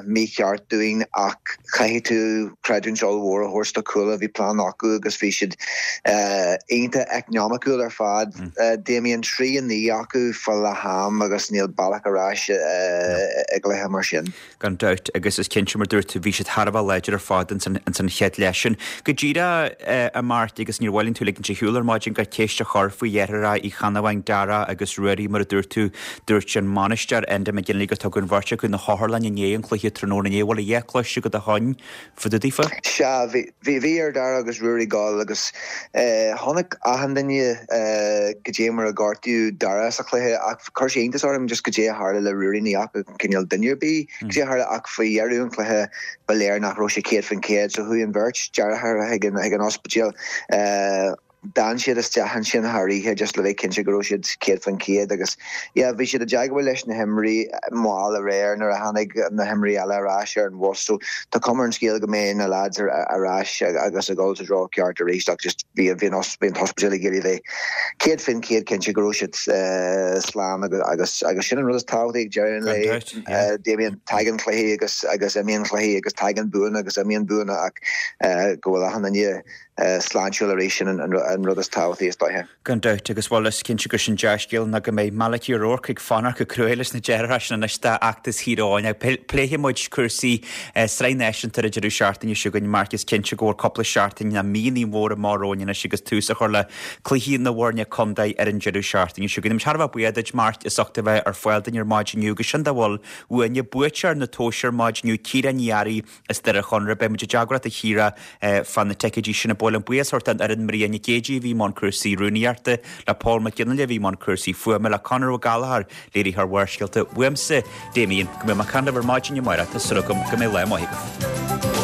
mícheart dúinn ach caithfidh tú creidiúint ollmhór a thabhairt do Cuala, bhí plean acu agus bhí siad iontach eacnamaíochúil ar fad. Damien, 3-9 acu fá leath am agus níl bealach ar ais i gcluiche mar sin. Gan dabht, agus is cinnte mar dúirt tú, bhí siad thar a bheith láidir ar fad ins an chéad leath sin. Go díreach, a Mark, agus níor mhaith linn tú a ligint ar shiúl ar maidin gan ceist a chur faoi dheartháireacha Uí Chanabháin, Dara agus Ruairí, mar a dúirt tú, dúirt an mbainisteoir Enda. McGinley gur tugadh an bheirt acu na hotharlainne i ndiaidh an chluiche tráthnóna inné. Bhfuil a dhath cloiste agat ó shoin fá dtaobh daofa? Sea, bhí, bhí, bhí ar Dara agus Ruairí dul agus chonaic achan duine goidé mar a gortaíodh Dara sa chluiche ach chuir sé iontas orm just goidé a tharla le Ruairí, ní fhaca cineál duine ar bith goidé a tharla ach faoi dheireadh an chluiche ba léir nach raibh sé 100% so chuaigh an bheirt deartháir chuig an, chuig an ospidéal. D'fhan siad isteach ansin thar oíche just le bheith cinnte go raibh siad 100% agus yeah bhí siad i dteagmháil leis na himreoirí mall aréir nuair a tháinig na himreoirí eile ar ais ar an bhus so tá cuma ar an scéal go mbeidh na lads ar ais agus ag dul sa dtreo ceart arís ach just bhí bhí an bhí an t-ospidéal ag iarraidh bheith 100% cinnte go raibh siad slán agus agus agus sin an rud is tábhachtaí ag deireadh an lae Damien tagann cluichí agus agus imíonn cluichí agus tagann buanna agus imíonn buanna ach go bhfuil achan duine sláintiúil arís, sin an rud is tábhachtaí is dóiche. Gan dabht, agus bhuel, is cinnte gur sin dea-scéal ná go mbeidh Malachy O'Rourke ag fanacht go cruaidh leis na deartháireacha sin anois d'fheachtas Thír Eoghain. Ach pléifidh muid cúrsaí Sraith Náisiúnta ar an deireadh seachtaine seo chugainn, Mark, is cinnte go bhfuil cúpla seachtain nó mí mhór amach romhainn anois agus tús á chur le cluichí na bhfoirne contae ar an deireadh seachtaine seo chugainn. Táimid thar a bheith buíoch duit, Mark, as ucht a bheith ar fáil dúinn ar maidin inniu agus sin dá bhfuil uainne. Buaiteoir na tomhaise ar maidin inniu, Ciara Ní Fhearraigh, As Doire Chonaire, beidh muid i dteagmháil leat a Chiara fá na ticéidí sin. Ba mhaith liom buíochas a thabhairt don fhoireann, Maria Nic Géidigh a bhí i mbun cúrsaí rúnaíochta, le Paul Mac Fhionnghaile a bhí i mbun cúrsaí fuaime, le Conor Ó Gallchóir, léiritheoir Bharrscéalta. Uaimse, Damien, go mbeidh mé ag caint libh ar maidin amárach, tá súil agam go mbeidh lá maith agaibh.